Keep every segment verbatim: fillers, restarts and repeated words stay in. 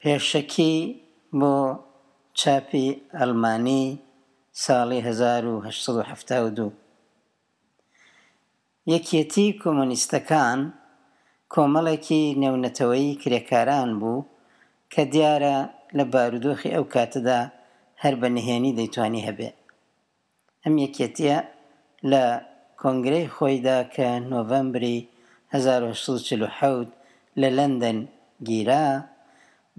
پێشەکی بۆ چاپی ئەڵمانی ساڵی هەزار و هەشت سەد و حەفتا و دوو. یەکێتی کۆمۆنیستەکان کۆمەڵێکی نێونەتەوەیی کرێکاران بوو کە دیارە لە بارودۆخی ئەو کاتەدا هەر بە نهێنی دەیتوانی هەبێ. ئەم یەکێتیە لە کۆنگرەی خۆیدا کە نۆڤەمبری هەزار و هەشت سەد و چل و حەوت لە لەندەن گیرا،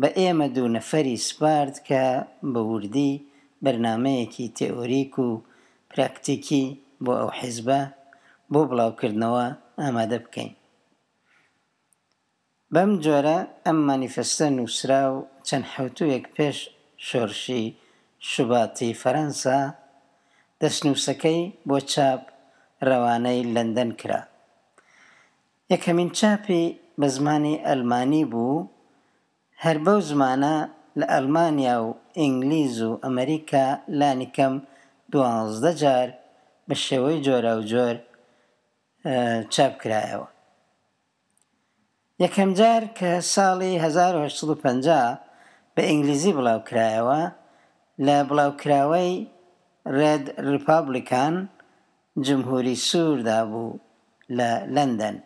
بە ئێمە دوو نەفەری سپارد کە بە وردی بەرنامەیەکی تئۆریک و پراکتیکی بۆ ئەو حیزبە بۆ بڵاوکردنەوە ئامادە بکەین. بەم جۆرە ئەم مانیفستە نووسرا و چەند حەوتوویەک پێش شۆڕشی شوباتی فەرەنسا دەستنووسەکەی بۆ چاپ ڕەوانەی لەندەن کرا. یەکەمین چاپی بە زمانی ئەلمانی بوو، هەر بەو زمانە لە ئەلمانیا و ئینگلیز و ئەمریکا لانیکەم دوازدە جار بە شێوەی جۆراوجۆر چاپ کرایەوە. یەکەم جار کە ساڵی هەزار و هەشت سەد و پەنجا بە ئینگلیزی بڵاوکرایەوە لە بڵاوکراوەی ڕێد ڕیپابلیکان جمهوری سووردا بوو لە لەندەن.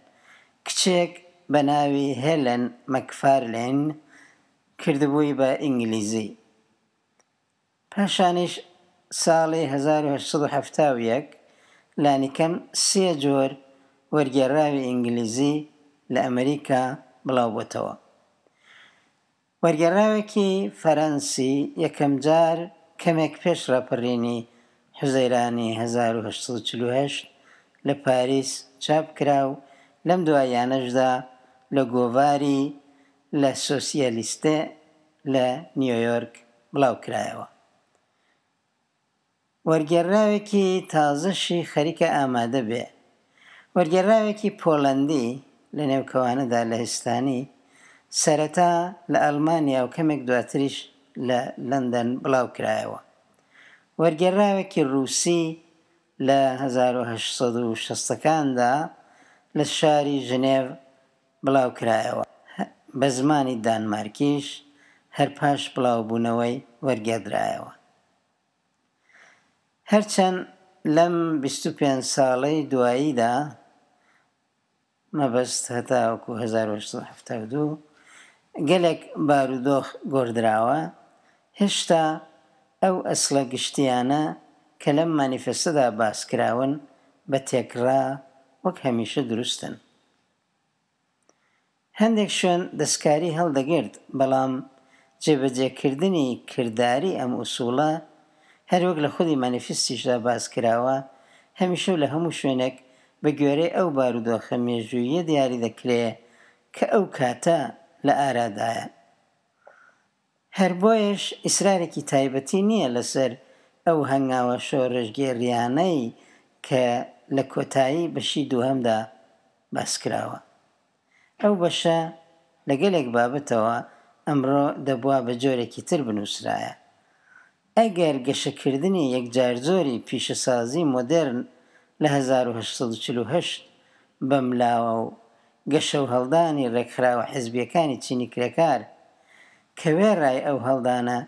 کچێک بە ناوی هێلن مەکفارلین کردبووی بە ئینگلیزی. پاشانیش ساڵی هەزار و هەشت سەد و حەفتا و یەک لانیکەم سێ جۆر وەرگێڕاوی ئینگلیزی لە ئەمریکا بڵاوبۆتەوە. وەرگێڕاوێکی فەرەنسی یەکەمجار کەمێک پێش ڕاپەڕینی حوزەیرانی هەزار و هەشت سەد و چل و هەشت لە پاریس چاپ کرا و لەم دواییانەشدا لە گۆڤاری لە سۆسیالیستێ لە نیویۆرک بڵاو کرایەوە. وەرگێڕاوێکی تازەشی خەریکە ئامادە بێ. وەرگێڕاوێکی پۆلەندی لە نێوکەوانەدا لە هستانی سەرەتا لە ئەڵمانیا و کەمێک دواتریش لە لەندەن بڵاو کرایەوە. وەرگێڕاوێکی ڕووسی لە هەزار و هەشت سەد و شەستەکاندا لە شاری ژنێڤ بڵاو کرایەوە. بە زمانی دانمارکیش هەر پاش بڵاوبوونەوەی وەرگێڕدرایەوە. هەرچەند لەم بیست و پێنج ساڵەی دواییدا مەبەست هەتاوەکو هەزار و هەشت سەد و حەفتا و دوو گەلێک بارودۆخ گۆڕدراوە، هێشتا ئەو ئەسڵە گشتیانە کە لەم مانیفستەدا باس کراون بە تێکڕا وەک هەمیشە دروستن. هەندێک شوێن دەستکاری هەڵدەگرت، بەڵام جێبەجێکردنی کرداری ئەم ئوسوڵە هەروەک لە خودی مانیفستیشدا باس کراوە، هەمیشە و لە هەموو شوێنێک بە گوێرەی ئەو بارودۆخە مێژوویە دیاری دەکرێ کە ئەو کاتە لە ئارادایە. هەر بۆیەش ئیسرارێکی تایبەتی نییە لەسەر ئەو هەنگاوە شۆڕشگێڕیانەی کە لە کۆتایی بەشی دووهەمدا باس کراوە. ئەو بەشە لە گەلێک بابەتەوە ئەمڕۆ دەبووە بە جۆرێکی تر بنووسرایە. ئەگەر گەشەکردنی یەکجار زۆری پیشەسازی مۆدێرن لە هەزار و هەشت سەد و چل و هەشت بەملاوە و گەشە و هەڵدانی ڕێکخراوە حیزبیەکانی چینی کرێکار کە وێڕای ئەو هەڵدانە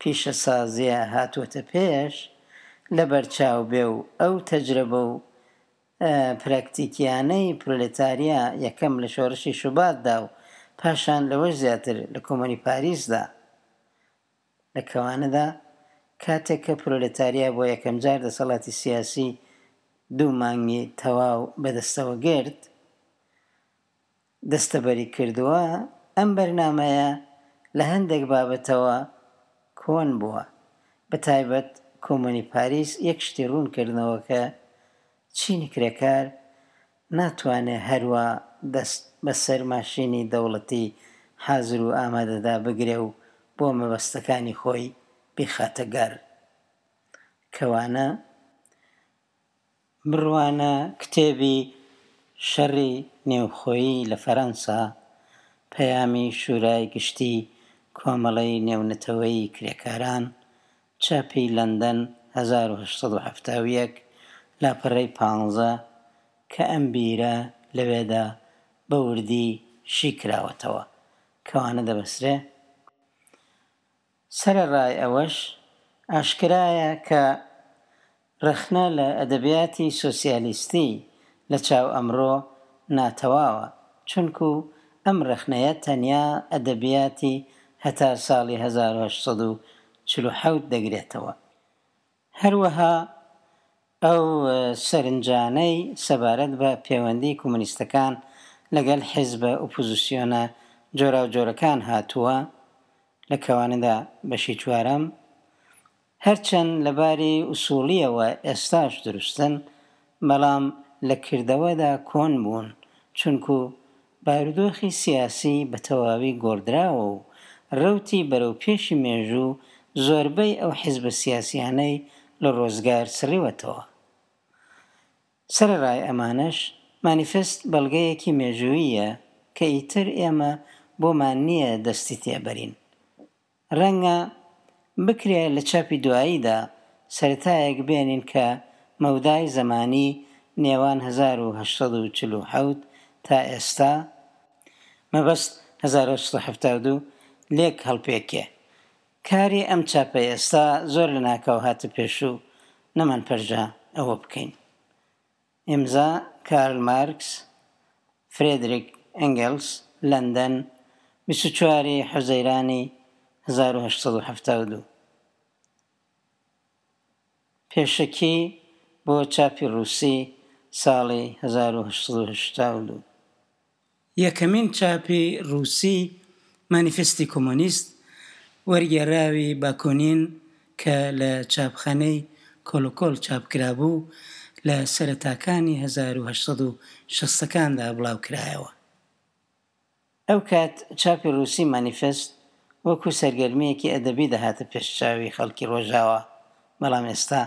پیشەسازیە هاتووەتە پێش لەبەرچاو بێ و ئەو تەجربە و پراکتیکیانەی پرۆلێتاریا یەکەم لە شۆڕشی شوباتدا و پاشان لەوەش زیاتر لە کۆمۆنی پاریسدا لە کەوانەدا کاتێک کە پرۆلێتاریا بۆ یەکەمجار دەسەڵاتی سیاسی دوو مانگی تەواو بەدەستەوە گرت دەستەبەری کردووە، ئەم بەرنامەیە لە هەندێک بابەتەوە کۆن بووە. بە تایبەت کۆمۆنی پاریس یەک شتی ڕوون کردنەوە کە چینی کرێکار ناتوانێت هەروە دەست بەسەر ماشینی دەوڵەتی حازر و ئامادەدا بگرێ و بۆ مەبەستەکانی خۆی بیخاتە گەر. کەوانە بڕوانە کتێبی شەڕی نێوخۆیی لە فەرەنسا، پەیامی شورای گشتی کۆمەڵەی نێونەتەوەیی کرێکاران، چاپی لەندەن هەزار و هەشت سەد و حەفتا و یەک، لاپەڕەی پانزە کە ئەم بیرە لەوێدا بە وردی شی کراوەتەوە. کەوانە دەبەسرێ؟ سەرەڕای ئەوەش، ئاشکرایە کە ڕەخنە لە ئەدەبیاتی سۆسیالیستی لە چاو ئەمڕۆ ناتەواوە، چونکو ئەم ڕەخنەیە تەنیا ئەدەبیاتی هەتا ساڵی هەزار و هەشت سەد و چل و حەوت دەگرێتەوە. هەروەها ئەو سەرنجانەی سەبارەت بە پێوەندی کۆمۆنیستەکان لەگەڵ حیزبە ئۆپۆزیسیۆنە جۆراوجۆرەکان هاتووە لە کەوانەدا بەشی چوارەم، هەرچەند لەباری ئوسوڵیەوە ئێستاش دروستن، بەڵام لە کردەوەدا کۆن بوون، چونکو بارودۆخی سیاسی بە تەواوی گۆڕدراوە و ڕەوتی بەرەو پێشی مێژوو زۆربەی ئەو حیزبە سیاسیانەی لە ڕۆزگار سڕیوەتەوە. سەرەڕای ئەمانەش، مانیفست بەڵگەیەکی مێژووییە کە ئیتر ئێمە بۆمان نییە دەستی تێبەرین. ڕەنگە بکرێ لە چاپی دواییدا سەرەتایەک بێنین کە مەودای زەمانی نێوان هەزار و هەشت سەد و چل و حەوت تا ئێستا، مەبەست هەزار و هەشت سەد و حەفتا و دوو، لێک هەڵپێکێ. کاری ئەم چاپەی ئێستا زۆر لە ناکاو هاتە پێش و نەمانپەرژا ئەوە بکەین. ئیمزا کارل مارکس، فرێدریک ئەنگلس، لەندەن، بیست و چواری حوزەیرانی هەزار و هەشت سەد و حەفتا و دوو. پێشەکی بۆ چاپی ڕووسی ساڵی هەزار و هەشت سەد و هەشتا و دوو. یەکەمین چاپی ڕووسی مانیفستی کۆمۆنیست وەرگێڕاوی باکۆنین کە لە چاپخانەی کۆلۆکۆل چاپکرابوو لە سەرەتاکانی هەزار و هەشت سەد و شەستەکاندا بڵاوکرایەوە. ئەو کات چاپی ڕووسی مانیفست وەکو سەرگەرمییەکی ئەدەبی دەهاتە پێش چاوی خەڵکی ڕۆژاوا، بەڵام ئێستا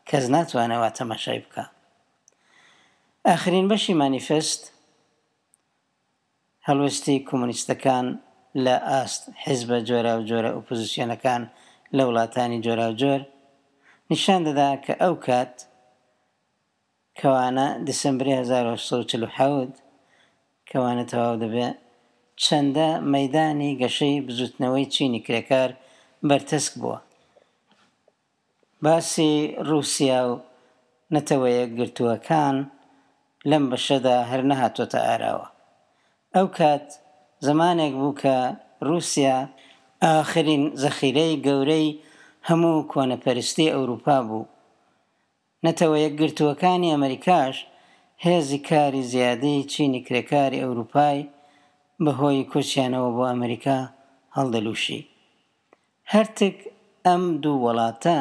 کەس ناتوانێت وا تەماشای بکا. ئاخرین بەشی مانیفست هەڵوێستی کۆمۆنیستەکان لە ئاست حیزبە جۆراوجۆرە ئۆپۆزیسیۆنەکان لە وڵاتانی جۆراوجۆر نیشان دەدا کە ئەو کات کەوانە دیسمبری هەزار و هەشت سەد و چل و حەوت کەوانە تەواو دەبێ چەندە مەیدانی گەشەی بزوتنەوەی چینی کرێکار بەرتەسک بووە. باسی ڕووسیا و نەتەوەیەکگرتووەکان لەم بەشەدا هەر نەهاتۆتە ئاراوە. ئەو کات زمانێک بوو کە ڕووسیا ئاخرین زەخیرەی گەورەی هەموو کۆنەپەرستی ئەوروپا بوو. نەتەوەیەکگرتووەکانی ئەمریکاش هێزی کاری زیادەی چینی کرێکاری ئەوروپای بەهۆی کۆچیانەوە بۆ ئەمریکا هەڵدەلووشی. هەرتک ئەم دوو وڵاتە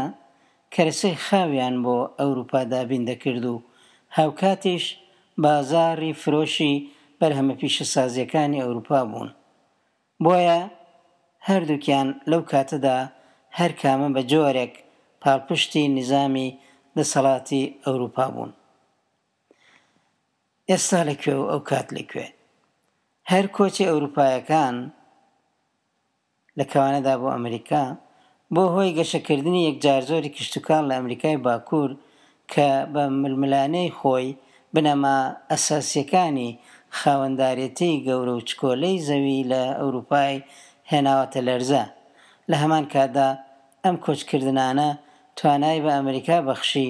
کەرەسەی خاویان بۆ ئەوروپا دابین دەکرد و هاوکاتیش بازاڕی فرۆشی بەرهەمە پیشەسازیەکانی ئەوروپا بوون. بۆیە هەردووکیان لەو کاتەدا هەر کامە بە جۆرێک پاڵپشتی نیزامی دەسەڵاتی ئەوروپا بوون. ئێستا لەکوێ و ئەو کات لەکوێ؟ هەر کۆچی ئەوروپایەکان لە کەوانەدا بۆ ئەمریکا بۆ هۆی گەشەکردنی یەکجار زۆری کشتوکاڵ لە ئەمریکای باکوور کە بە ململانێی خۆی بنەما ئەساسیەکانی خاوەندارێتی گەورە و چکۆلەی زەوی لە ئەوروپای هێناوەتە لەرزە. لە هەمان کاتدا ئەم کۆچکردنانە توانای بە ئەمریکا بەخشی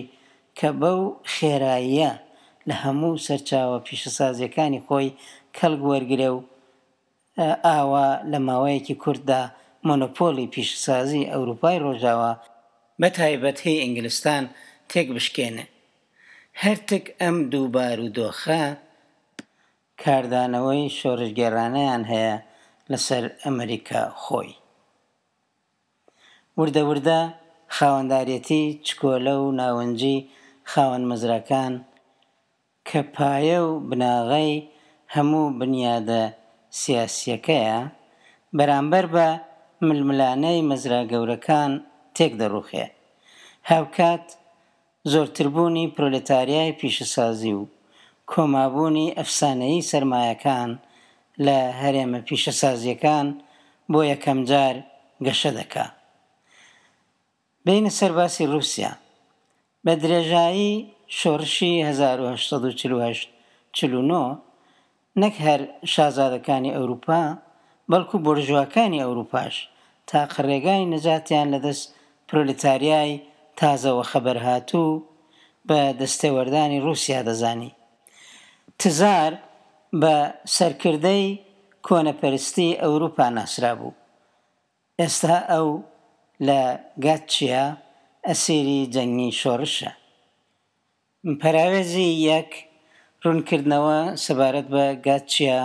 کە بەو خێراییە لە هەموو سەرچاوە پیشەسازیەکانی خۆی کەڵک وەرگرێ و ئاوا لە ماوەیەکی کوورتدا مۆنۆپۆلی پیشەسازی ئەوروپای ڕۆژاوا بە تایبەت هی ئینگلستان تێک بشکێنێ. هەرتک ئەم دوو بارودۆخە کاردانەوەی شۆڕشگێڕانەیان هەیە لەسەر ئەمریکا خۆی. وردە وردە خاوەندارێتی چکۆلە و ناونجی خاوەن مەزراکان کە پایە و بناغەی هەموو بنیادە سیاسیەکەیە بەرامبەر بە ململانەی مەزرا گەورەکان تێک دەڕوخێ. هاوکات زۆرتربوونی پرۆلێتاریای پیشەسازی و کۆمابوونی ئەفسانەیی سەرمایەکان لە هەرێمە پیشەسازیەکان بۆ یەکەم جار گەشە دەکا. بینە سەر باسی ڕووسیا. بە درێژایی شۆڕشی هەزار و هەشت سەد و چل و هەشت چل و نۆ نەک هەر شازادەکانی ئەوروپا بەڵکو بۆرژواکانی ئەوروپاش تاقە ڕێگای نەجاتیان لە دەست پرۆلیتاریای تازە وەخەبەرهاتوو بە دەستێوەردانی ڕووسیا دەزانی. تزار بە سەرکردەی کۆنەپەرستی ئەوروپا ناسرابوو. ئێستا ئەو لە گاتچیا ئەسیری جەنگی شۆڕشە. پەراوێزی یەک، ڕوونکردنەوە سەبارەت بە گاتچیا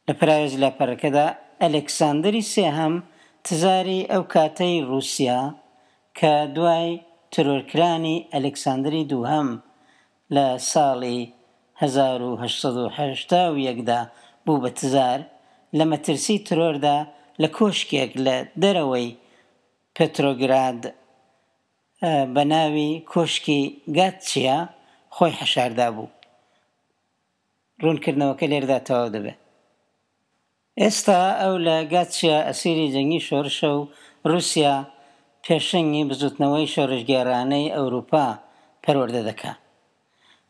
لە پەراوێزی لاپەڕەکەدا، ئەلێکساندەری سێهەم تزاری ئەو کاتەی ڕووسیا کە دوای ترۆرکرانی ئەلێکساندەری دووهەم لە ساڵی هەزار و هەشت سەد و هەشتا و یەک دا بوو بە تزار، لە مەترسی ترۆردا لە کۆشکێک لە دەرەوەی پێترۆگراد بە ناوی کۆشکی گاتچیا خۆی حەشاردابوو. ڕوونکردنەوەکە لێرەدا تەواو دەبێت. ئێستا ئەو لە گاتچیا ئەسیری جەنگی شۆڕشە و ڕووسیا پێشەنگی بزووتنەوەی شۆڕشگێڕانەی ئەوروپا پەروەردە دەکا.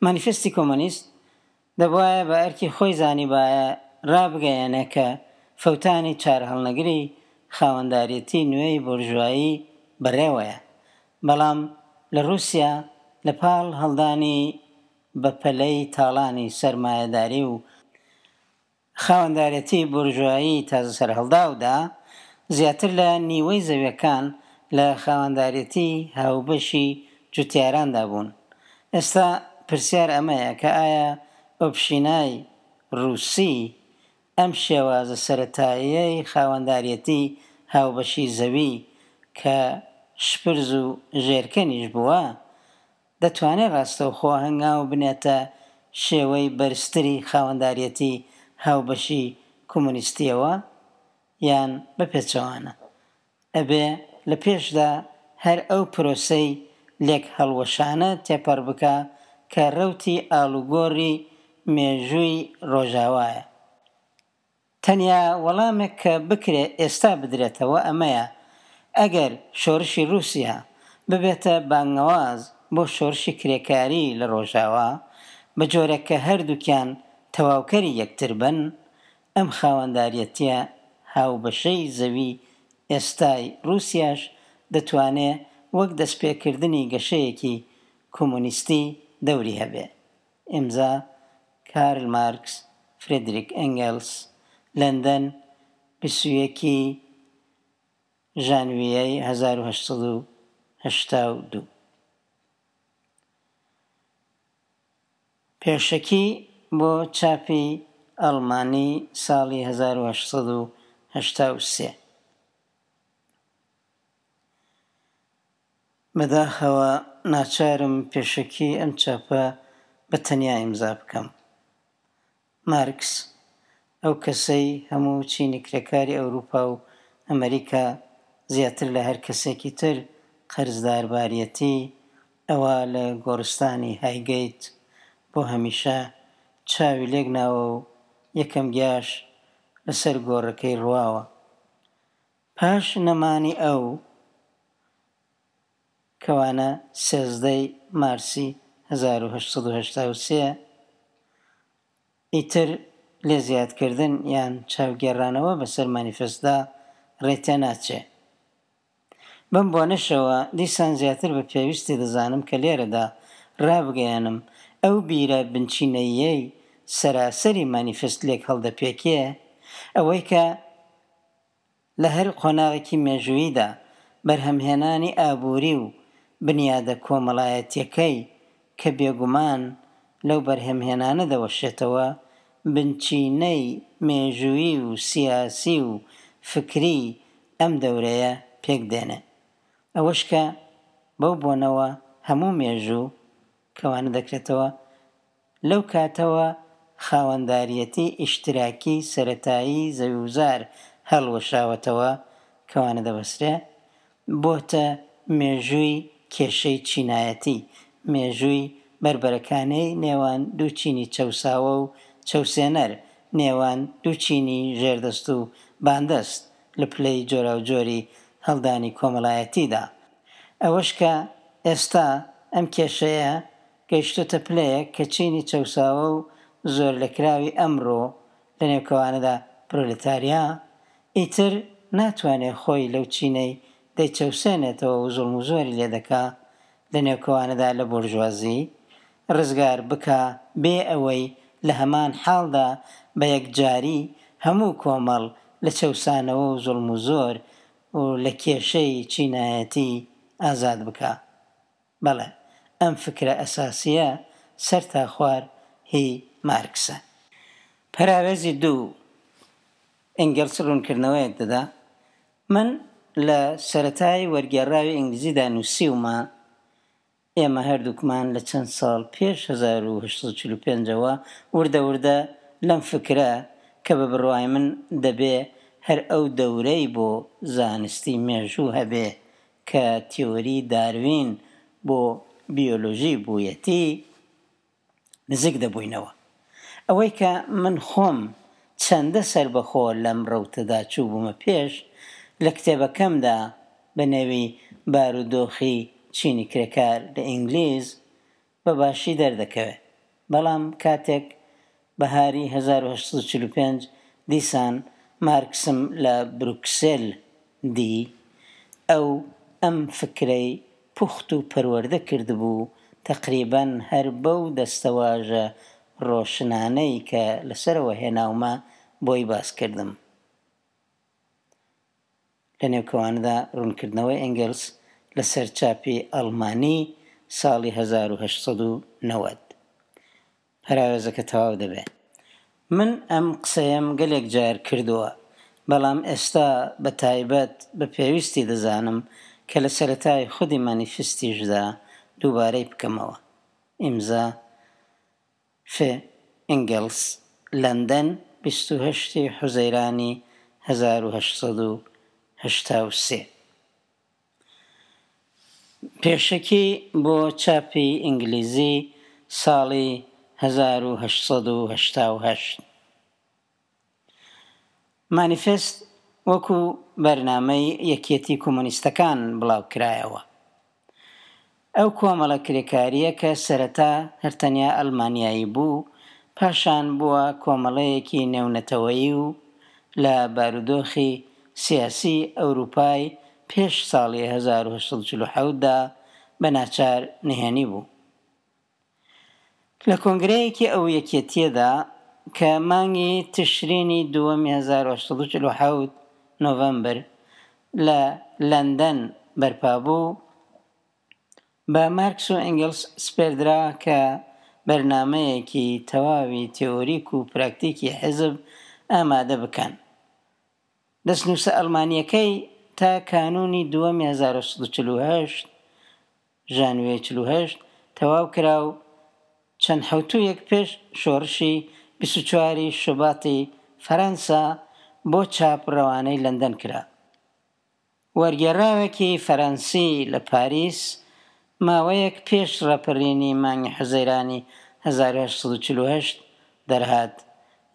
مانیفێستی کۆمۆنیست دەبوایە بە ئەرکی خۆی زانیبایە ڕابگەیەنێ کە فەوتانی چارەهەڵنەگری خاوەنداریەتی نوێی بۆرژوایی بەڕێوەیە، بەڵام لە ڕووسیا لە پاڵ هەڵدانی بەپەلەی تاڵانی سەرمایەداری و خاوەندارێتی بۆرژوایی تازەسەرهەڵداودا، زیاتر لە نیوەی زەویەکان لە خاوەندارێتی هاوبەشی جوتیاراندا بوون. ئێستا پرسیار ئەمەیە کە ئایا ئۆپشینای ڕووسی ئەم شێوازە سەرەتاییەی خاوەندارێتی هاوبەشی زەوی کە شپرز و ژێرکەنیش بووە، دەتوانێت ڕاستەوخۆ هەنگاو بنێتە شێوەی بەرزتری خاوەندارێتی هاوبەشی کۆمۆنیستیەوە یان بە پێچەوانە ئەبێ لە پێشدا هەر ئەو پرۆسەی لێک هەڵوەشانە تێپەڕ بکا کە ڕەوتی ئاڵوگۆڕی مێژووی ڕۆژاوایە. تەنیا وەڵامێک کە بکرێ ئێستا بدرێتەوە ئەمەیە، ئەگەر شۆڕشی ڕووسیا ببێتە بانگەواز بۆ شۆڕشی کرێکاری لە ڕۆژاوا، بە جۆرێک کە هەردووکیان تەواوکەری یەکتر بن، ئەم خاوەنداریەتیە هاوبەشەی زەوی ئێستای ڕووسیاش دەتوانێ وەک دەستپێکردنی گەشەیەکی کۆمۆنیستی دەوری هەبێ. ئیمزا، کارل مارکس، فرێدریک ئەنگێلس، لەندەن، بیست و یەک ی ژانویەی هەزار و هەشت سەد و هەشتا و دوو. پێشەکی بۆ چاپی ئەڵمانی ساڵی هەزار و هەشت سەد و هەشتا و سێ. بەداخەوە ناچارم پێشەکی ئەم چاپە بە تەنیا ئیمزا بکەم. مارکس، ئەو کەسەی هەموو چینی کرێکاری ئەوروپا و ئەمریکا زیاتر لە هەر کەسێکی تر قەرزدارباریەتی، ئەوە لە گۆڕستانی هایگەیت بۆ هەمیشە چاوی لێک ناوە و یەکەم گیاش لەسەر گۆڕەکەی ڕواوە. پاش نەمانی ئەو، کەوانە سێزدەی مارسی هەزار و هەشت سەد و هەشتا و سێ، ئیتر لێ زیادکردن یان چاوگێڕانەوە بەسەر مانیفێستدا ڕێ تێناچێ. بەم بۆنەشەوە دیسان زیاتر بە پێویستی دەزانم کە لێرەدا ڕابگەیەنم ئەو بیرە بنچینەییەی سەراسەری مانیفێست لێک هەڵدەپێکێ، ئەوەی کە لە هەر قۆناغێکی مێژووییدا بەرهەمهێنانی ئابووری و بنیادە کۆمەڵایەتیەکەی کە بێگومان لەو بەرهەمهێنانە دەوەشێتەوە، بنچینەی مێژوویی و سیاسی و فکری ئەم دەورەیە پێک دێنێ. ئەوەش کە بەو بۆنەوە هەموو مێژوو کەوانە دەکرێتەوە لەو کاتەوە خاوەنداریەتی ئیشتراکی سەرەتایی زەویوزار هەڵوەشاوەتەوە کەوانە دەبەسرێ، بۆتە مێژووی کێشەی چینایەتی، مێژووی بەربەرەکانەی نێوان دوو چینی چەوساوە و چەوسێنەر، نێوان دوو چینی ژێردەست و باندەست لە پلەی جۆراوجۆری هەڵدانی کۆمەڵایەتیدا. ئەوەش کە ئێستا ئەم کێشەیە گەیشتۆتە پلەیەک کە چینی چەوساوە و زۆرلێکراوی ئەمڕۆ لە نێوکەوانەدا پرۆلێتاریا ئیتر ناتوانێ خۆی لەو چینەی دەیچەوسێنێتەوە و زوڵم و زۆری لێ دەکا لە نێوکەوانەدا لە بۆرژوازی ڕزگار بکا بێ ئەوەی لە هەمان حاڵدا بە یەکجاری هەموو کۆمەڵ لە چەوسانەوە و زوڵم و زۆر و لە کێشەی چینایەتی ئازاد بکا. بەڵێ ئەم فکرە ئەساسییە سەر تا خوار هی مارکسە. پەراوێزی دوو، ئەنگێڵس ڕوونکردنەوەیەک دەدا. من لە سەرەتای وەرگێڕاوی ئینگلیزیدا نووسیومە ئێمە هەردووکمان لە چەند ساڵ پێش هەزار و هەشت سەد و چل و پێنج ەوە وردە وردە لەم فکرە کە بە بڕوای من دەبێ هەر ئەو دەورەی بۆ زانستی مێژوو هەبێ کە تیۆری داروین بۆ بیۆلۆژی بوویەتی نزیک دەبووینەوە. ئەوەی کە من خۆم چەندە سەربەخۆ لەم ڕەوتەدا چووبوومە پێش لە کتێبەکەمدا بە نێوی بارودۆخی چینی کرێکار لە ئینگلیز بە باشی دەردەکەوێ. بەڵام کاتێک بەهاری هەزار و هەشت سەد و چل و پێنج دیسان مارکسم لە بروکسێل دی، ئەو ئەم فکرەی پوخت و پەروەردە کردبوو، تەقریبەن هەر بەو دەستەواژە ڕۆشنانەی کە لەسەرەوە هێناومە بۆی باس کردم. لە نێوکەوانەدا ڕوونکردنەوەی ئەنگلس لەسەر چاپی ئەڵمانی ساڵی هەزار و هەشت سەد و نەوەد. پەراوێزەکە تەواو دەبێ. من ئەم قسەیەم گەلێک جار کردووە، بەڵام ئێستا بە تایبەت بە پێویستی دەزانم کە لە سەرەتای خودی مانیفستیشدا دووبارەی بکەمەوە. ئیمزا ف ئەنگلس، لەندەن، بیست و هەشتی حوزەیرانی هەزار و هەشت سەد و هەشتا و سێ. پێشەکی بۆ چاپی ئینگلیزی ساڵی هەزار و هەشت سەد و هەشتا و هەشت. مانیفست وەکو بەرنامەی یەکێتی کۆمۆنیستەکان بڵاو کرایەوە. ئەو کۆمەڵە کرێکارییە کە سەرەتا هەر تەنیا ئەڵمانیایی بوو، پاشان بووە کۆمەڵەیەکی نێونەتەوەیی و لە بارودۆخی سیاسی ئەوروپای پێش ساڵی هەزار و هەشت سەد و چل و حەوتدا بە ناچار نهێنی بوو. لە کۆنگرەیەکی ئەو یەکێتیەدا کە مانگی تشرینی دووەمی هەزار و هەشت سەد و چل و حەوت نۆڤەمبەر لە لەندەن بەرپا بوو، بە مارکس و ئەنگلس سپێردرا کە بەرنامەیەکی تەواوی تیۆریک و پراکتیکی حیزب ئامادە بکەن. دەستنووسە ئەڵمانیەکەی تا کانوونی دووەمی هەزار و سەد و چل و هەشت ژانویەی چل و هەشت تەواو کرا و چەند حەوتوویەک پێش شۆڕشی بیست و چواری شوباتی فەرەنسا بۆ چاپ ڕەوانەی لەندەن کرا. وەرگێڕاوێکی فەرەنسی لە پاریس ماوەیەک پێش ڕاپەڕینی مانگی حوزەیرانی هەزار و هەشت سەد و چل و هەشت دەرهات.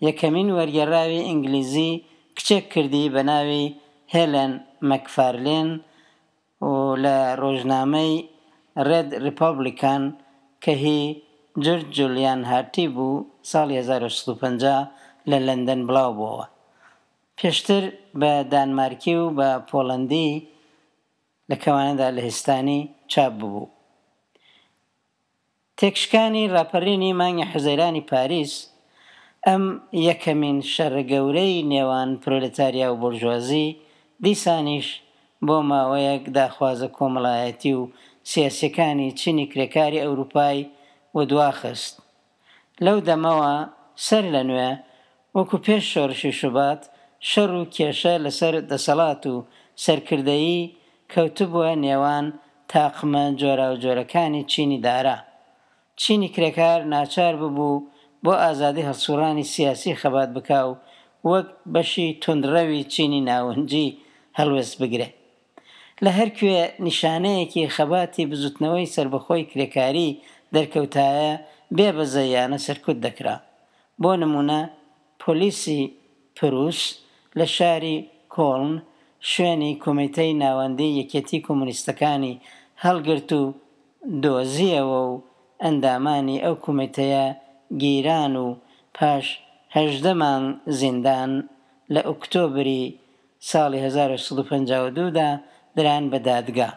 یەکەمین وەرگێڕاوی ئینگلیزی کچێک کردی بە ناوی هێلن مەکفارلین و لە ڕۆژنامەی ڕێد ڕیپۆبلیکان کە هی جۆرج جولیان هارتی بوو ساڵی هەزار و هەشت سەد و پەنجا لە لەندەن بڵاو بووەوە. پێشتر بە دانمارکی و بە پۆڵەندی لە کەوانەدا لەهستانی چاپ ببوو. تێکشکانی ڕاپەڕینی مانگی حوزەیرانی پاریس ئەم یەکەمین شەڕە گەورەی نێوان پرۆلێتاریا و بۆرژوازی دیسانیش بۆ ماوەیەک داخوازە کۆمەڵایەتی و سیاسیەکانی چینی کرێکاری ئەوروپای و دواخست. لەو دەمەوە سەر لە نوێ وەکو پێش شۆڕشی شوبات شەڕ و کێشە لەسەر دەسەڵات و سەرکردەیی کەوتبووە نێوان تاقمە جۆراوجۆرەکانی چینی دارا. چینی کرێکار ناچار ببوو بۆ ئازادی هەڵسوڕانی سیاسی خەبات بکا و وەک بەشی توندڕەوی چینی ناونجی هەڵوێست بگرێ. لە هەرکوێ نیشانەیەکی خەباتی بزوتنەوەی سەربەخۆی کرێکاری دەرکەوتایە بێبەزەیانە سەرکوت دەکرا. بۆ نمونە پۆلیسی پروس لە شاری کۆڵن شوێنی کۆمیتەی ناوەندی یەکێتی کۆمۆنیستەکانی هەڵگرت و دۆزیەوە و ئەندامانی ئەو کۆمیتەیە گیران و پاش هەژدە مانگ زیندان لە ئۆکتۆبری ساڵی هەزار و هەشت سەد و پەنجا و دوو دا دران بە دادگا.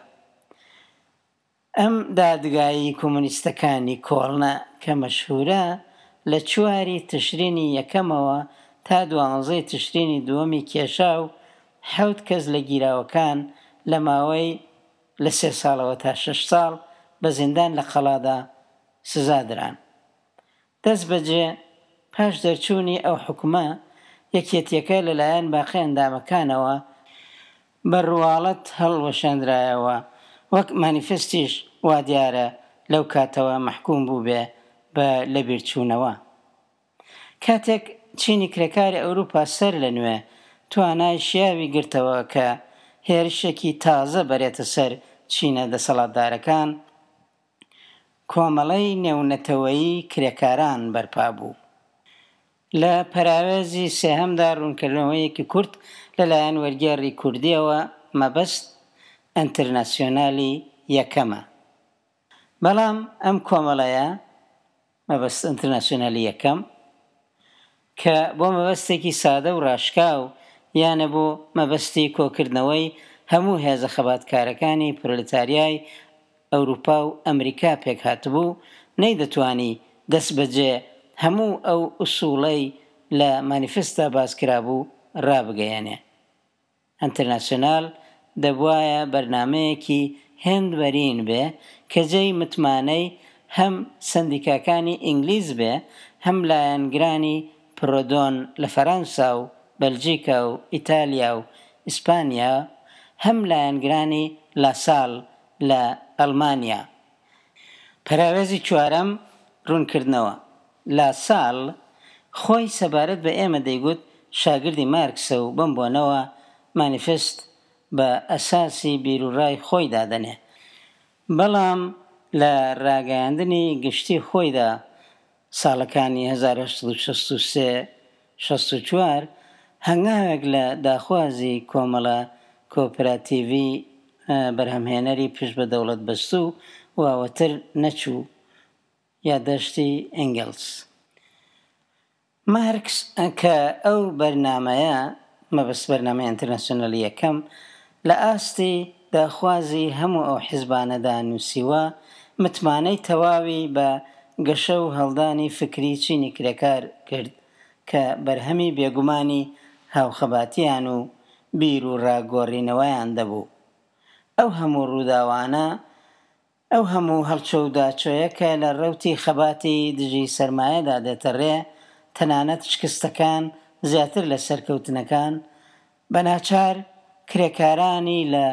ئەم دادگایی کۆمۆنیستەکانی کۆڵنە کە مەشهورە لە چواری تشرینی یەکەمەوە تا دوانزەی تشرینی دووەمی کێشا و حەوت کەس لە گیراوەکان لە ماوەی لە سێ ساڵەوە تا شەش ساڵ بە زیندان لە قەڵادا سزا دران. دەست بەجێ پاش دەرچوونی ئەو حوکمە، یەکێتیەکە لەلایەن باقی ئەندامەکانەوە بە ڕواڵەت هەڵوەشێنرایەوە، وەک مانیفستیش وا دیارە لەو کاتەوە مەحکوم بووبێ بە لەبیرچوونەوە. کاتێک چینی کرێکاری ئەوروپا سەر لە نوێ توانای شیاوی گرتەوە کە هێرشێکی تازە بەرێتە سەر چینە دەسەڵاتدارەکان، کۆمەڵەی نێونەتەوەیی کرێکاران بەرپا بوو. لە پەراوێزی سێهەمدا ڕوونکردنەوەیەکی کورت لەلایەن وەرگێڕی کوردیەوە مەبەست ئەنتەرناسیۆنالی یەکەمە. بەڵام ئەم کۆمەڵەیە مەبەست ئەنتەرناسیۆنالی یەکەم کە بۆ مەبەستێکی سادە و ڕاشکاو یانە بۆ مەبەستی کۆکردنەوەی هەموو هێزە خەباتکارەکانی پرۆلتاریای ئەوروپا و ئەمریکا پێک هاتبوو، نەیدەتوانی دەست بەجێ هەموو ئەو ئوسوڵەی لە مانیفستدا باس کرابوو ڕابگەیەنێ. ئەنتەرناسیۆنال دەبوایە بەرنامەیەکی هێند بەرین بێ کە جێی متمانەی هەم سەندیکاکانی ئینگلیز بێ، هەم لایەنگرانی پرۆدۆن لە فەرەنسا و بەلجیکا و ئیتالیا و ئیسپانیا، هەم لایەنگرانی لاسال لە ئەڵمانیا. پەراوێزی چوارەم ڕوونکردنەوە. لاسال خۆی سەبارەت بە ئێمە دەیگوت شاگردی مارکسە و بەم بۆنەوە مانیفست بە ئەساسی بیروڕای خۆی دادەنێ. بەڵام لە ڕاگەیاندنی گشتی خۆیدا ساڵەکانی هەزار و هەشت سەد و شەست و سێ شەست و چوار هەنگاوێک لە داخوازی کۆمەڵە کۆپراتیڤی بەرهەمهێنەری پشت بە دەوڵەت بەستوو واوەتر نەچوو یادداشتی ئەنگلس. مارکس کە ئەو بەرنامەیە مەبەست بەرنامەی ئینتەرناسیۆنالی یەکەم لە ئاستی داخوازی هەموو ئەو حیزبانەدا نووسیوە، متمانەی تەواوی بە گەشە و هەڵدانی فکری چینی کرێکار کرد کە بەرهەمی بێگومانی هاوخەباتیان و بیر و ڕاگۆڕینەوەیان دەبوو. ئەو هەموو ڕووداوانە، ئەو هەموو هەڵچۆ و داچۆیە کە لە ڕەوتی خەباتی دژی سەرمایەدا دێتە ڕێ، تەنانەت شکستەکان زیاتر لە سەرکەوتنەکان، بەناچار کرێکارانی لە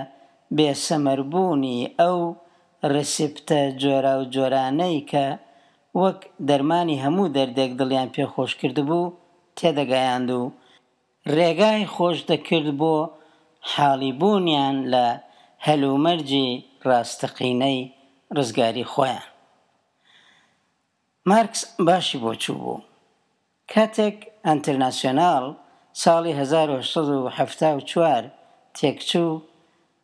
بێسەمەربوونی ئەو ڕسیپتە جۆراوجۆرانەی کە وەک دەرمانی هەموو دەردێک دڵیان پێخۆش کردبوو تێدەگەیاند و ڕێگای خۆش دەکرد بۆ حاڵیبوونیان لە هەلومەرجی ڕاستەقینەی ڕزگاری خۆیان. مارکس باشی بۆ چوو بوو. کاتێک ئەنتەرناسیۆنال ساڵی هەزار و هەشت سەد و حەفتا و چوار تێکچوو،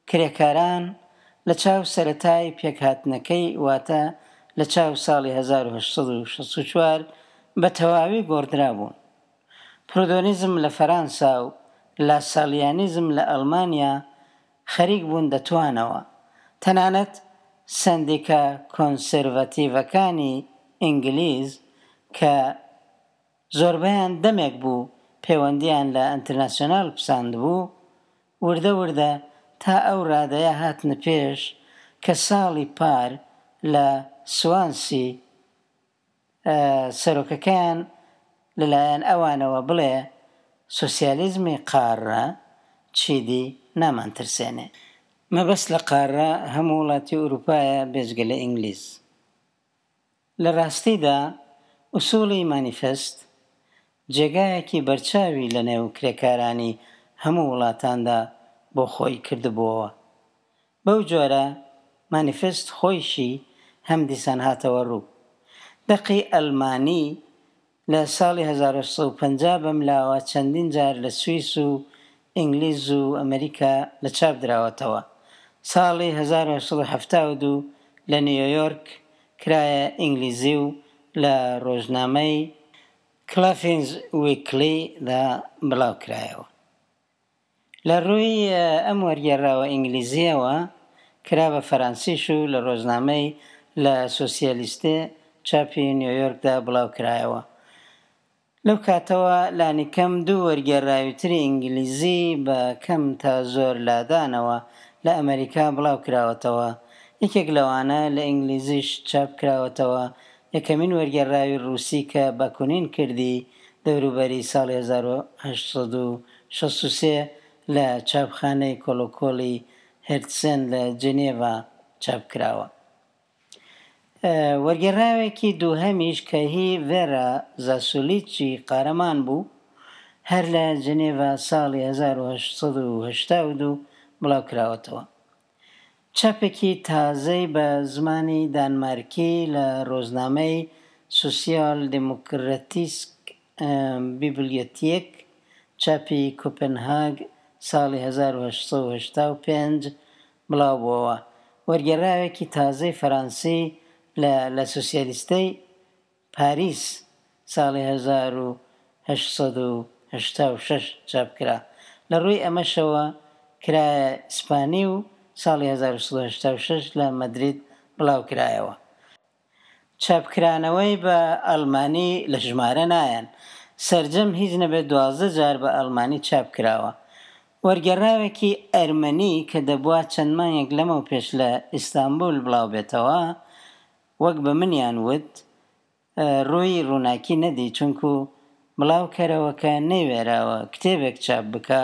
کرێکاران لە چاو سەرەتای پێکهاتنەکەی واتە لە چاو ساڵی هەزار و هەشت سەد و شەست و چوار بە تەواوی گۆڕدرا بوون. پرۆدۆنیزم لە فەرەنسا و لاسالیانیزم لە ئەڵمانیا خەریک بوون دەتوانەوە. تەنانەت سەندیکا کۆنسێرڤاتیڤەکانی ئینگلیز کە زۆربەیان دەمێک بوو پەیوەندیان لە ئەنتەرناسیۆنال پساند بوو، وردە وردە تا ئەو ڕادەیە هاتنە پێش کە ساڵی پار لە سوانسی سەرۆکەکەیان لەلایەن ئەوانەوە بڵێ سۆسیالیزمی قارە چیدی نامانترسێنێ. مەبەست لە قارە هەموو وڵاتی ئەوروپایە بێجگە لە ئینگلیز. لە ڕاستیدا ئوسوڵی مانیفست جێگایەکی بەرچاوی لە نێو کرێکارانی هەموو وڵاتاندا بۆ خۆی کردبووەوە. بەو جۆرە مانیفست خۆیشی هەم دیسان هاتەوە ڕوو. دەقی ئەلمانی لە ساڵی هەزار و هەشت سەد و پەنجا بەملاوە چەندین جار لە سوئیس و ئینگلیز و ئەمریکا لە چاپ دراوەتەوە. ساڵی هەزار و هەشت سەد و حەفتا و دوو لە نیویۆرک کرایە ئینگلیزی و لە ڕۆژنامەی کلافینز ویکلی دا بڵاو کرایەوە. لە ڕووی ئەم وەرگێڕراوە ئینگلیزییەوە کرا بە فەرەنسیش و لە ڕۆژنامەی لە سۆسیالیستێ چاپی نیویۆرکدا بڵاو کرایەوە. لەو کاتەوە لانیکەم دوو وەرگێڕراوی تری ئینگلیزی بە کەم تا زۆر لادانەوە لە ئەمەریکا بڵاو کراوەتەوە. یەکێک لەوانە لە ئینگلیزیش چاپ کراوەتەوە. یەکەمین وەرگێڕراوی ڕووسی کە باکونین کردی دەوروبەری ساڵی هەزار و هەشت سەد و شەست و سێ لە چاپخانەی کۆلۆکۆلی هێرتسن لە جنێڤا چاپ کراوە. وەرگێڕراوێکی دووهەمیش کە هی ڤێرا زاسولیچی قارەمان بوو هەر لە جنێڤا ساڵی هەزار و هەشت سەد و هەشتا و دوو بڵاو کراوەتەوە. چاپێکی تازەی بە زمانی دانمارکی لە ڕۆژنامەی سوسیال دێموکراتیسک بیبلیۆتێک چاپی کۆپنهاگ ساڵی هەزار و هەشت سەد و هەشتا و پێنج بڵاو بووەوە. وەرگێڕراوێکی تازەی فەرەنسی لە لە سوسیالیستەی پاریس ساڵی هەزار و هەشت سەد و هەشتا و شەش چاپ کرا. لە ڕووی ئەمەشەوە کرایە ئیسپانی و ساڵی هەزار و سەد و هەشتا و شەش لە مەدرید بڵاو کرایەوە. چاپکرانەوەی بە ئەڵمانی لە ژمارە نایەن. سەرجەم هیچ نەبێت دوازدە جار بە ئەڵمانی چاپ کراوە. وەرگێڕراوێکی ئەرمەنی کە دەبووە چەند مانگێک لەمەو پێش لە ئیستانبول بڵاو بێتەوە، وەک بە منیان وت ڕووی ڕووناکی نەدی، چونکو بڵاوکەرەوەکە نەیوێراوە کتێبێک چاپ بکە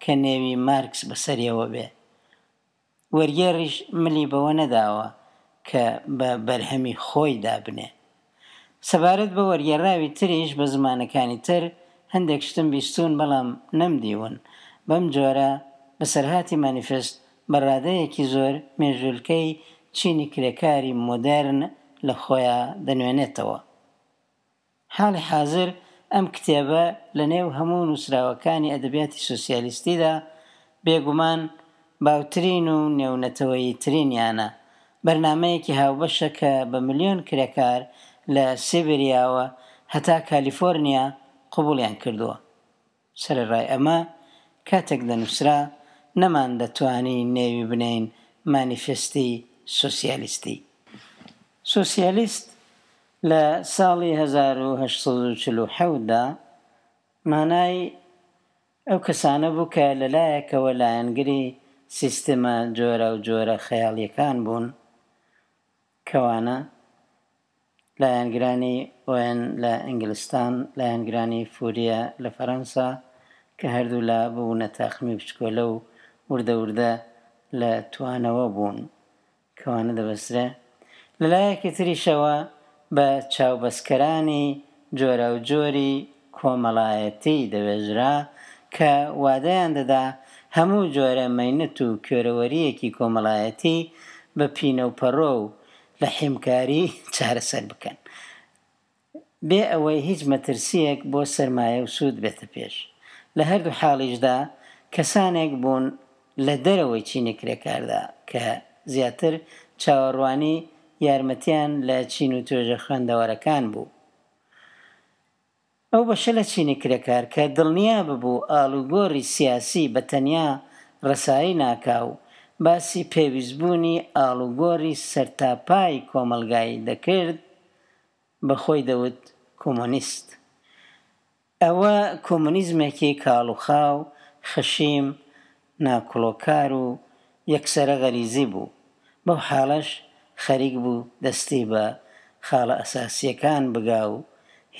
کە نێوی مارکس بەسەریەوە بێ. وەرگێڕیش ملی بەوە نەداوە کە بە بەرهەمی خۆی دابنێ. سەبارەت بە وەرگێڕراوی تریش بە زمانەکانی تر هەندێک شتم بیستوون بەڵام نەمدیون. بەم جۆرە بەسەرهاتی مانیفست بە ڕادەیەکی زۆر مێژولکەی چینی کرێکاری مۆدێرن لە خۆیان دەنوێنێتەوە. حاڵی حاضر ئەم کتێبە لە نێو هەموو نووسراوەکانی ئەدەبیاتی سۆسیالیستیدا بێگومان باوترین و نێونەتەوەیی ترینیانە. بەرنامەیەکی هاوبەشە کە بە ملیۆن کرێکار لە سیبریاوە هەتا کالیفۆرنیا قبوڵیان کردووە. سەرەڕای ئەمە کاتێک دەنووسرا نەمان دەتوانی نێوی بنێین مانیفستی سۆسیالیستی. سۆسیالیست لە ساڵی هەزار و هەشت سەد و چل و حەوتدا مانای ئەو کەسانە بوو کە لەلایەکەوە لایەنگری سیستەمە جۆرە و جۆرە خەیاڵیەکان بوون، کەوانە لایەنگرانی ئۆن لە ئینگلستان، لایەنگرانی فوریە لە فەرەنسا کە هەردوو لا بوونە تاقمی بچکۆلە و وردە وردە لە توانەوە بوون، کەوانە دەبەسترێ. لەلایەکی تریشەوە بە چاوبەستکەرانی جۆرە و جۆری کۆمەڵایەتی دەوێژرا کە وادەیان دەدا هەموو جۆرە مەینەت و کوێرەوەریەکی کۆمەڵایەتی بە پینە و پەڕۆ و لە حیمکاری چارەسەر بکەن، بێ ئەوەی هیچ مەترسیەک بۆ سەرمایە و سوود بێتە پێش. لە هەردوو حاڵیشدا کەسانێک بوون لە دەرەوەی چینی کرێکاردا کە زیاتر چاوەڕوانی یارمەتیان لە چین و توێژە خوێندەوارەکان بوو. ئەو بەشە لە چینی کرێکار کە دڵنیا ببوو ئاڵوگۆڕی سیاسی بە تەنیا ڕەسایی ناکا و باسی پێویستبوونی ئاڵوگۆڕی سەرتاپای کۆمەڵگای دەکرد، بە خۆی دەوت کۆمۆنیست. ئەوە کۆمۆنیزمێکی کاڵوخاو، خەشیم، ناکوڵۆکار و یەکسەرە غەریزی بوو. بەو حاڵەش خەریک بوو دەستی بە خاڵە ئەساسیەکان بگا و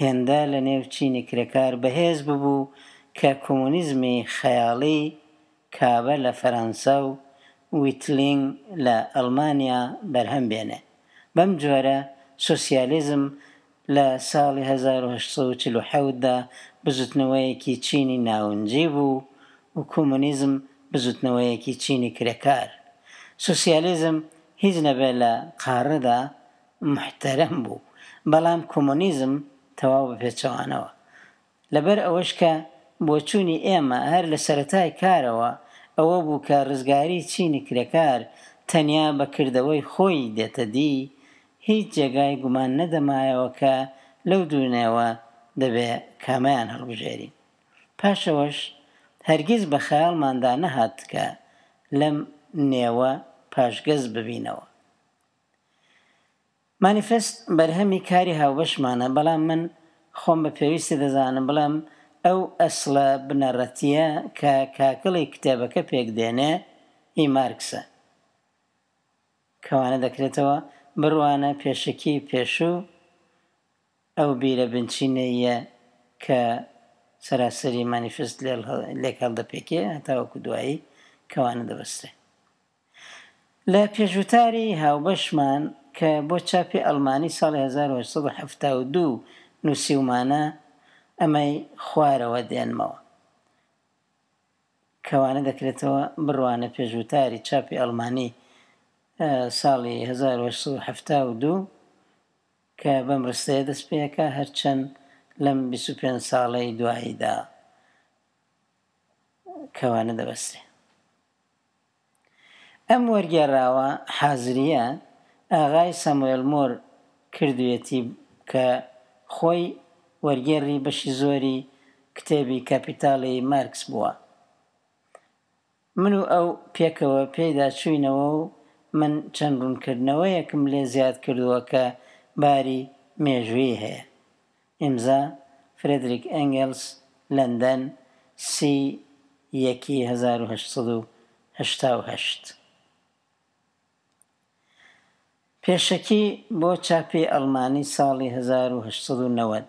هێندە لە نێو چینی کرێکار بەهێز ببوو کە کۆمۆنیزمی خەیاڵی کابە لە فەرەنسا و ویتلینگ لە ئەڵمانیا بەرهەم بێنێ. بەم جۆرە سۆسیالیزم لە ساڵی هەزار و هەشت سەد و چل و حەوتدا بزوتنەوەیەکی چینی ناونجی بوو و کۆمۆنیزم بزوتنەوەیەکی چینی کرێکار. سۆسیالیزم هیچ نەبێ لە قاڕەدا محتەرەم بوو، بەڵام کۆمۆنیزم تەواو بە پێچەوانەوە. لەبەر ئەوەش کە بۆچوونی ئێمە هەر لە سەرەتای کارەوە ئەوە بوو کە ڕزگاری چینی کرێکار تەنیا بە کردەوەی خۆی دێتە دی، هیچ جێگای گومان نەدەمایەوە کە لەو دوونەوە دەبێ کامیان هەڵبژێرین. پاشەوەش هەرگیز بە خەیاڵماندا نەهات کە لەم نێوە پاشگەز ببینەوە. مانیفست بەرهەمی کاری هاوبەشمانە، بەڵام من خۆم بە پێویستی دەزانم بڵێم ئەو ئەسڵە بنەڕەتییە کە کاکڵی کتێبەکە پێک دێنێ هی مارکسە. کەوانە دەکرێتەوە بڕوانە پێشەکی پێشوو ئەو بیرە بنچینەیە کە سەراسەری مانیفست لێک هەڵدەپێکێ هەتاوەکو دوایی کەوانە دەبەسترێ. لە پێشوتاری هاوبەشمان کە بۆ چاپی ئەڵمانی ساڵی هەزار و هەشت سەد و حەفتا و دوو نووسیومانە ئەمەی خوارەوە دێنمەوە. کەوانە دەکرێتەوە بڕوانە پێشوتاری چاپی ئەڵمانی ساڵی هەزار و هەشت سەد و حەفتا و دوو کە بەم ڕستەیە دەست پێیەکە هەرچەند لەم بیست و پێنج ساڵەی دواییدا کەوانە دەبەسترێ. ئەم وەرگێڕاوە حازریە ئاغای ساموێل مۆر کردوێتی کە خۆی وەرگێڕی بەشی زۆری کتێبی کاپیتالی مارکس بووە. من و ئەو پێکەوە پێیدا چووینەوە و من چەند ڕوونکردنەوەیەکم لێ زیاد کردووە کە باری مێژوویی هەیە. ئیمزا فرێدریک ئەنگلس، لەندەن، سی یەکی هەزار و هەشت سەد و هەشتا و هەشت. پێشەکی بۆ چاپی ئەڵمانی ساڵی هەزار و هەشت سەد و نەوەد.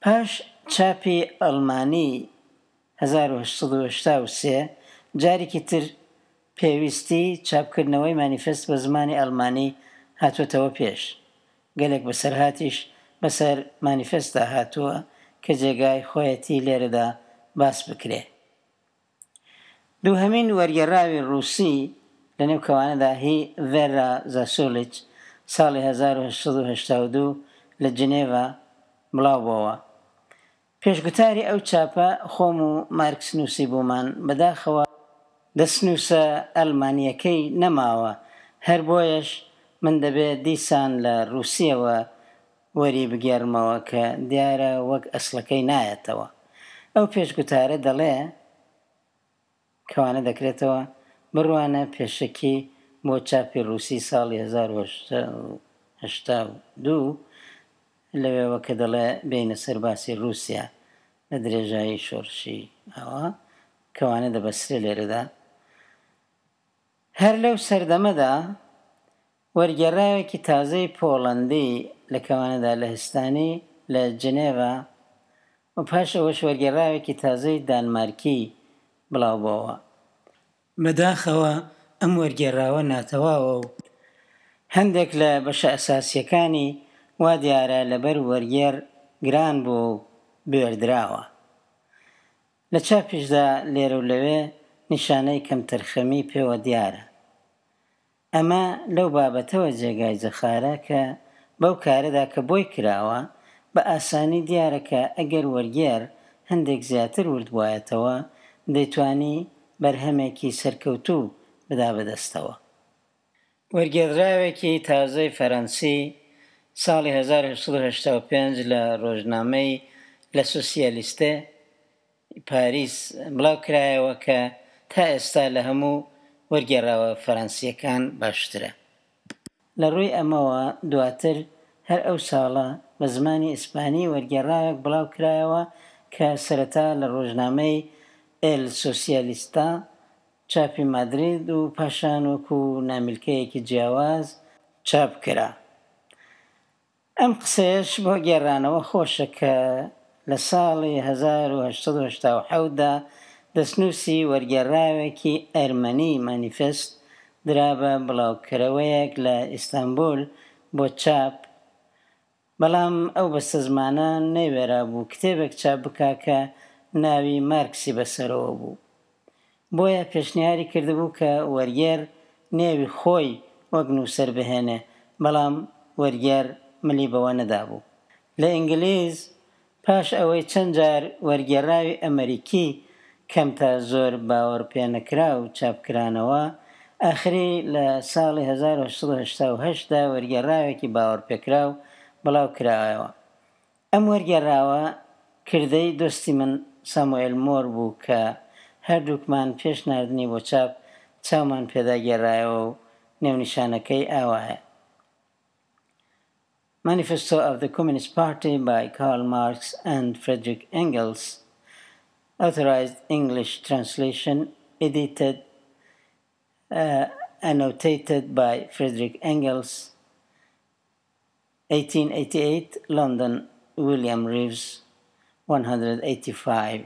پاش چاپی ئەڵمانی هەزار و هەشت سەد و هەشتا و سێ جارێکی تر پێویستی چاپکردنەوەی مانیفست بە زمانی ئەڵمانی هاتووەتەوە پێش. گەلێک بەسەرهاتیش بەسەر مانیفستدا هاتووە کە جێگای خۆیەتی لێرەدا باس بکرێ. دووهەمین وەرگێڕاوی ڕووسی لەنێو کەوانەدا هی ڤێرا زاسولیچ ساڵی هەزار و هەشت سەد و هەشتا و دوو لە جنێڤا بڵاو بۆوە. پێشگوتاری ئەو چاپە خۆم و مارکس نووسی بوومان، بەداخەوە دەستنووسە ئەڵمانیەکەی نەماوە، هەر بۆیەش من دەبێت دیسان لە ڕووسیەوە وەری بگێڕمەوە کە دیارە وەک ئەسڵەکەی نایەتەوە. ئەو پێشگوتارە دەڵێ کەوانە دەکرێتەوە بڕوانە پێشەکی بۆ چاپی ڕووسی ساڵی هەزار و هەشت سەد و هەشتا و دوو لەوێوە کە دەڵێ بێینە سەر باسی ڕووسیا لە درێژایی شۆڕشی ئاوا کەوانە دەبەسترێ لێرەدا. هەر لەو سەردەمەدا وەرگێڕاوێکی تازەی پۆڵەندی لە کەوانەدا لە هستانی لە جنێڤا و پاش ئەوەش وەرگێڕاوێکی تازەی دانمارکی بڵاو بۆوە. بەداخەوە ئەم وەرگێڕاوە ناتەواوە و هەندێک لە بەشە ئەساسیەکانی وا دیارە لەبەر وەرگێڕ گران بوو و بێردراوە. لە چاپیشدا لێرە و لەوێ نیشانەی کەمتەرخەمی پێوە دیارە. ئەمە لەو بابەتەوە جێگای جەخارە کە بەو کارەدا کە بۆی کراوە بە ئاسانی دیارە کە ئەگەر وەرگێڕ هەندێک زیاتر ورد بوایەتەوە دەیتوانی بەرهەمێکی سەرکەوتوو بدا بەدەستەوە. وەرگێڕراوێکی تازەی فەرەنسی ساڵی هەزار و هەشت سەد و هەشتا و پێنج لە ڕۆژنامەی لە سوسیالیستێ پاریس بڵاو کرایەوە کە تا ئێستا لە هەموو وەرگێڕاوە فەرەنسیەکان باشترە. لە ڕووی ئەمەوە دواتر هەر ئەو ساڵە بە زمانی ئیسپانی وەرگێڕاوێک بڵاو کرایەوە کە سەرەتا لە ڕۆژنامەی ئێل سۆسیالیستا چاپی مادرید و پاشان وەکو نامیلکەیەکی جیاواز چاپ کرا. ئەم قسەیەش بۆ گێڕانەوە خۆشە کە لە ساڵی هەزار و هەشت سەد و هەشتا و حەوتدا دەستنووسی وەرگێڕاوێکی ئەرمەنی مانیفست درا بە بڵاوکەرەوەیەک لە ئیستانبول بۆ چاپ، بەڵام ئەو بەستەزمانە نەیوێرا بوو کتێبێک چاپ بکا کە ناوی مارکسی بەسەرەوە بوو. بۆیە پێشنیاری کردبوو کە وەرگێڕ نێوی خۆی وەک نووسەر بهێنێ، بەڵام وەرگێڕ ملی بەوە نەدابوو. لە ئینگلیز پاش ئەوەی چەند جار وەرگێڕاوی ئەمریکی کەم تا زۆر باوەڕپێنەکرا و چاپکرانەوە، ئاخری لە ساڵی هەزار و هەشت سەد و هەشتا و هەشت دا وەرگێڕاوێکی باوەڕپێکراو بڵاو کرایەوە. ئەم وەرگێڕاوە کردەی دۆستی من ساموئێل مۆر بوو کە هەردووکمان پێش ناردنی بۆ چاپ چاومان پێدا گێڕایەوە و نێونیشانەکەی ئاوایە، Manifesto of the Communist Party by Karl Marx and Friedrich Engels, Authorized English Translation, Edited, uh, Annotated by Friedrich Engels, eighteen eighty-eight, London, William Reeves, one hundred eighty-five.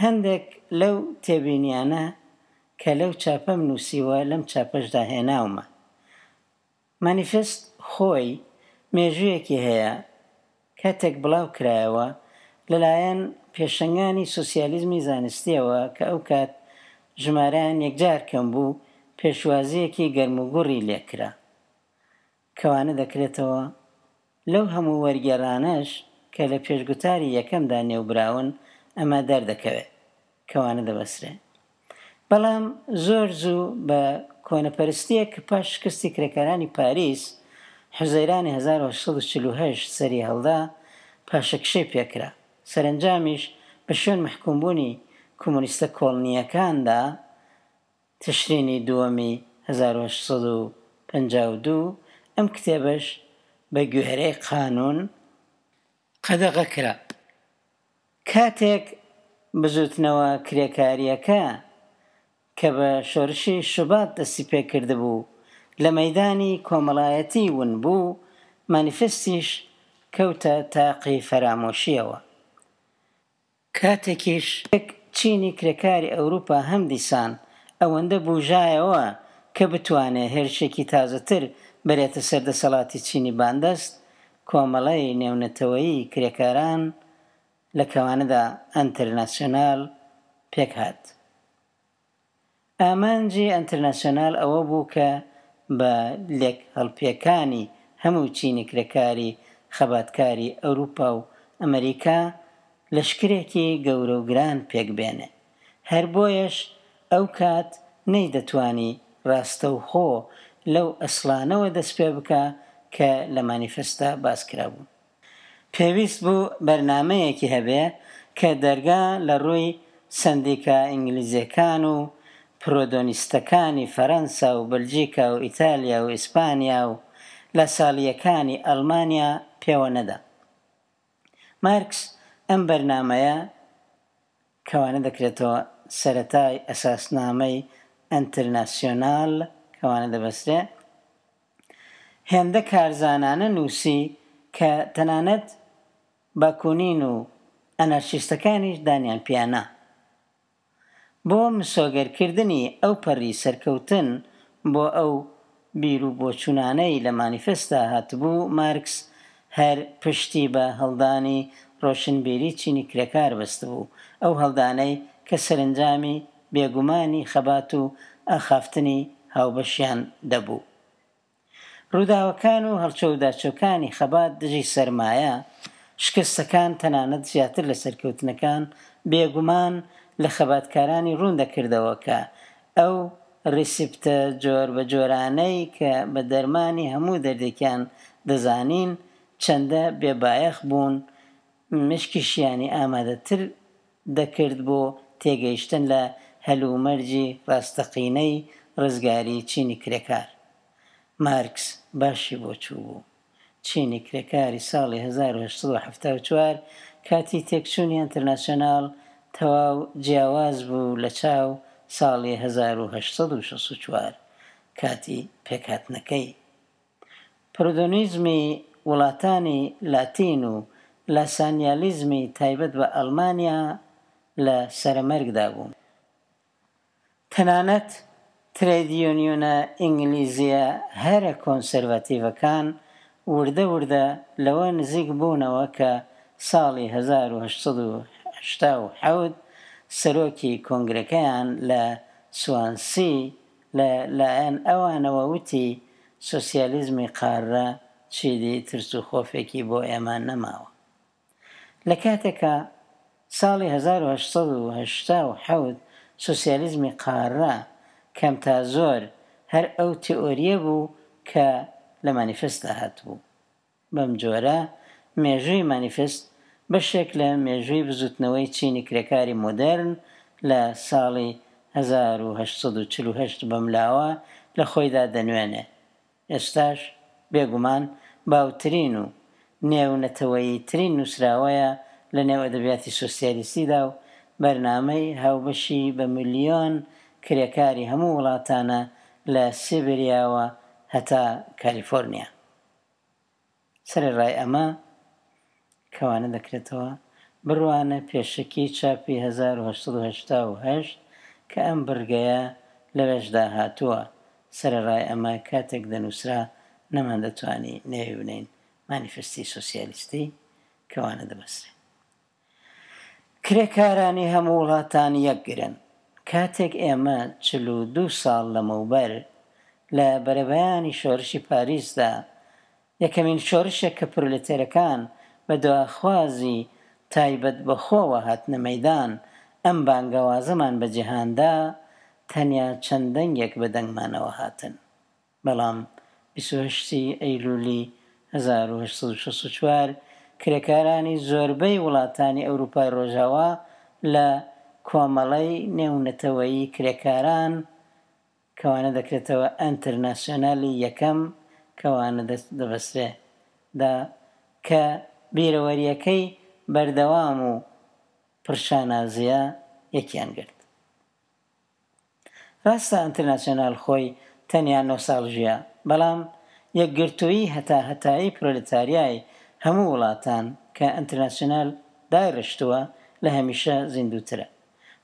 هەندێک لەو تێبینیانە کە لەو چاپەم نووسیوە لەم چاپەشدا هێناومە. مانیفست خۆی مێژوویەکی هەیە کاتێک بڵاو کرایەوە لەلایەن پێشەنگانی سۆسیالیزمی زانستیەوە کە ئەو کات ژمارەیان یەکجار کەم بوو، پێشوازیەکی گەرموگوڕی لێکرا. کەوانە دەکرێتەوە لەو هەموو وەرگێڕانەش کە لە پێشگوتاری یەکەمدا نێوبراون ئەمە دەردەکەوێت، کەوانە دەبەسرێ. بەڵام زۆر زوو بە کۆنەپەرستیەک کە پاش شکستی کرێکارانی پاریس حوزەیرانی هەزار و هەشت سەد و چل و هەشت سەری هەڵدا، پاشەکشەی پێکرا. سەرەنجامیش بە شوێن مەحکومبوونی کۆمۆنیستە کۆڵنییەکاندا تشرینی دووەمی هەزار و هەشت سەد و پەنجا و دوو ئەم کتێبەش بە گوێرەی قانون قەدەغە کرا. کاتێک بزوتنەوە کرێکارییەکە کە بە شۆرشی شوبات دەستی پێکردبوو لە مەیدانی کۆمەڵایەتی ون بوو، مانیفستیش کەوتە تاقی فەرامۆشیەوە. کاتێکیش چینی کرێکاری ئەوروپا هەم دیسان ئەوەندە بوژایەوە کە بتوانێ هێرشێکی تازەتر بەرێتە سەر دەسەڵاتی چینی باندەست، کۆمەڵەی نێونەتەوەیی کرێکاران لە کەوانەدا ئەنتەرناسیۆنال پێک هات. ئامانجی ئەنتەرناسیۆنال ئەوە بوو کە بە لێک هەڵپێکانی هەموو چینی کرێکاری خەباتکاری ئەوروپا و ئەمریکا لەشکرێکی گەورە و گران پێک بێنێ. هەر بۆیەش ئەو کات نەیدەتوانی ڕاستەوخۆ لەو ئەسڵانەوە دەست پێ بکە کە لە مانیفێستا باس کرابوو. پێویست بوو بەرنامەیەکی هەبێ کە دەرگا لە ڕووی سەندیکا ئینگلیزیەکان و پرۆدۆنیستەکانی فەرەنسا و بەلجیکا و ئیتالیا و ئیسپانیا و لاساڵیەکانی ئەڵمانیا پێوە نەدا. مارکس ئەم بەرنامەیە کەوانە دەکرێتەوە سەرەتای ئەساسنامەی ئەنتەرناسیۆنال کەوانە دەبەسرێ، هێندە کارزانانە نووسی کە تەنانەت باکونین و ئەنارشیستەکانیش دانیان پیانە. بۆ مسۆگەرکردنی ئەو پەڕی سەرکەوتن بۆ ئەو بیر و بۆچوونانەی لە مانیفێستا هاتبوو، مارکس هەر پشتی بە هەڵدانی ڕۆشنبیری چینی کرێکار بەستبوو، ئەو هەڵدانەی کە سەرەنجامی بێگومانی خەبات و ئاخافتنی هاوبەشیان دەبوو. ڕووداوەکان و هەڵچەوداچۆکانی خەبات دژی سەرمایە، شکستەکان تەنانەت زیاتر لە سەرکەوتنەکان بێگومان لە خەباتکارانی ڕوون دەکردەوە کە ئەو ڕیسیپتە جۆر بە جۆرانەی کە بە دەرمانی هەموو دەردێکیان دەزانین چەندە بێبایەخ بوون، مشکیشیانی ئامادەتر دەکرد بۆ تێگەیشتن لە هەلومەرجی ڕاستەقینەی ڕزگاری چینی کرێکار. مارکس باشی بۆ چوو بوو. چینی کرێکاری ساڵی هەزار و هەشت سەد و حەفتا و چوار کاتی تێکچوونی ئەنتەرناسیۆنال تەواو جیاواز بوو لە چاو ساڵی هەزار و هەشت سەد و شەست و چوار کاتی پێکهاتنەکەی. پرۆدۆنیزمی وڵاتانی لاتین و لاسانیالیزمی تایبەت بە ئەڵمانیا لە سەرەمەرگدا بوون. تەنانەت ترەید یونیۆنە ئینگلیزیە هەرە کۆنسەرڤاتیڤەکان وردە وردە لەوە نزیک بوونەوە کە ساڵی هەزار و هەشت سەد و هەشتا و حەوت سەرۆکی کۆنگرەکەیان لە سوانسی لە لایەن ئەوانەوە وتی سۆسیالیزمی قارە چیدی ترس و خۆفێکی بۆ ئێمە نەماوە. لە کاتێکا ساڵی هەزار و هەشت سەد و هەشتا و حەوت سۆسیالیزمی قارە کەم تا زۆر هەر ئەو تئۆریە بوو کە لە مانیفێستدا هاتبوو. بەم جۆرە مێژووی مانیفست بەشێک لە مێژووی بزووتنەوەی چینی کرێکاری مۆدێرن لە ساڵی هەزار و هەشت سەد و چل و هەشت بەملاوە لە خۆیدا دەنوێنێ. ئێستاش بێگومان باوترین و نێونەتەوەییترین نووسراوەیە لە نێو ئەدەبیاتی سۆسیالیستیدا و بەرنامەی هاوبەشی بە ملیۆن کرێکاری هەموو وڵاتانە لە سیبریاوە هەتا کالیفۆرنیا. سەرەڕای ئەمە کەوانە دەکرێتەوە بڕوانە پێشەکی چاپی هەزار و هەشت سەد و هەشتا و هەشت کە ئەم بڕگەیە لەوێشدا هاتووە. سەرەڕای ئەمە کاتێک دەنووسرا نەماندەتوانی نێوی بنین مانیفستی سۆسیالیستی کەوانە دەبەسرێ. کرێکارانی هەموو وڵاتان یەکگرن. کاتێک ئێمە چل و دوو ساڵ لەمەوبەر لە بەرەبەیانی شۆرشی پاریسدا، یەکەمین شۆرشێک کە پرۆلێتێرەکان بە دواخوازی تایبەت بەخۆوە هاتنە مەیدان، ئەم بانگەوازەمان بە جیهاندا، تەنیا چەند دەنگێک بە دەنگمانەوە هاتن. بەڵام بیست و هەشتی ئەیلولی هەزار و هەشت سەد و شەست و چوار کرێکارانی زۆربەی وڵاتانی ئەوروپای ڕۆژاوا لە کۆمەڵەی نێونەتەوەیی کرێکاران کەوانە دەکرێتەوە ئەنتەرناسیۆنالی یەکەم کەوانە دەبەسرێ دا کە بیرەوەریەکەی بەردەوام و پرشانازیە یەکیان گرت. ڕاستە ئەنتەرناسیۆنال خۆی تەنیا نۆ ساڵ ژیا، بەڵام یەکگرتوویی هەتا هەتایی پرۆلێتاریای هەموو وڵاتان کە ئەنتەرناسیۆنال دایڕشتووە لە هەمیشە زیندووترە.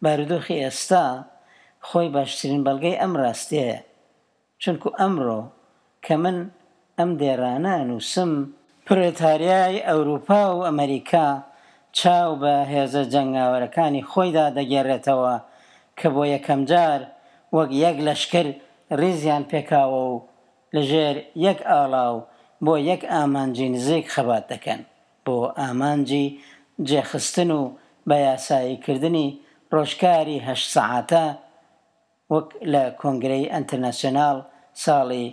بارودۆخی ئێستا خۆی باشترین بەڵگەی ئەم ڕاستیەیە، چونکو ئەمڕۆ کە من ئەم دێرانە ئەنووسم، پرۆلێتاریای ئەوروپا و ئەمریکا چاو بە هێزە جەنگاوەرەکانی خۆیدا دەگێڕێتەوە کە بۆ یەکەمجار وەک یەک لەشکر ڕیزیان پێکاوە و لەژێر یەک ئاڵا و بۆ یەک ئامانجی نزیک خەبات دەکەن، بۆ ئامانجی جێخستن و بە یاساییکردنی ڕۆژکاری هەشت سەعاتە وەک لە کۆنگرەی ئەنتەرناسیۆنال ساڵی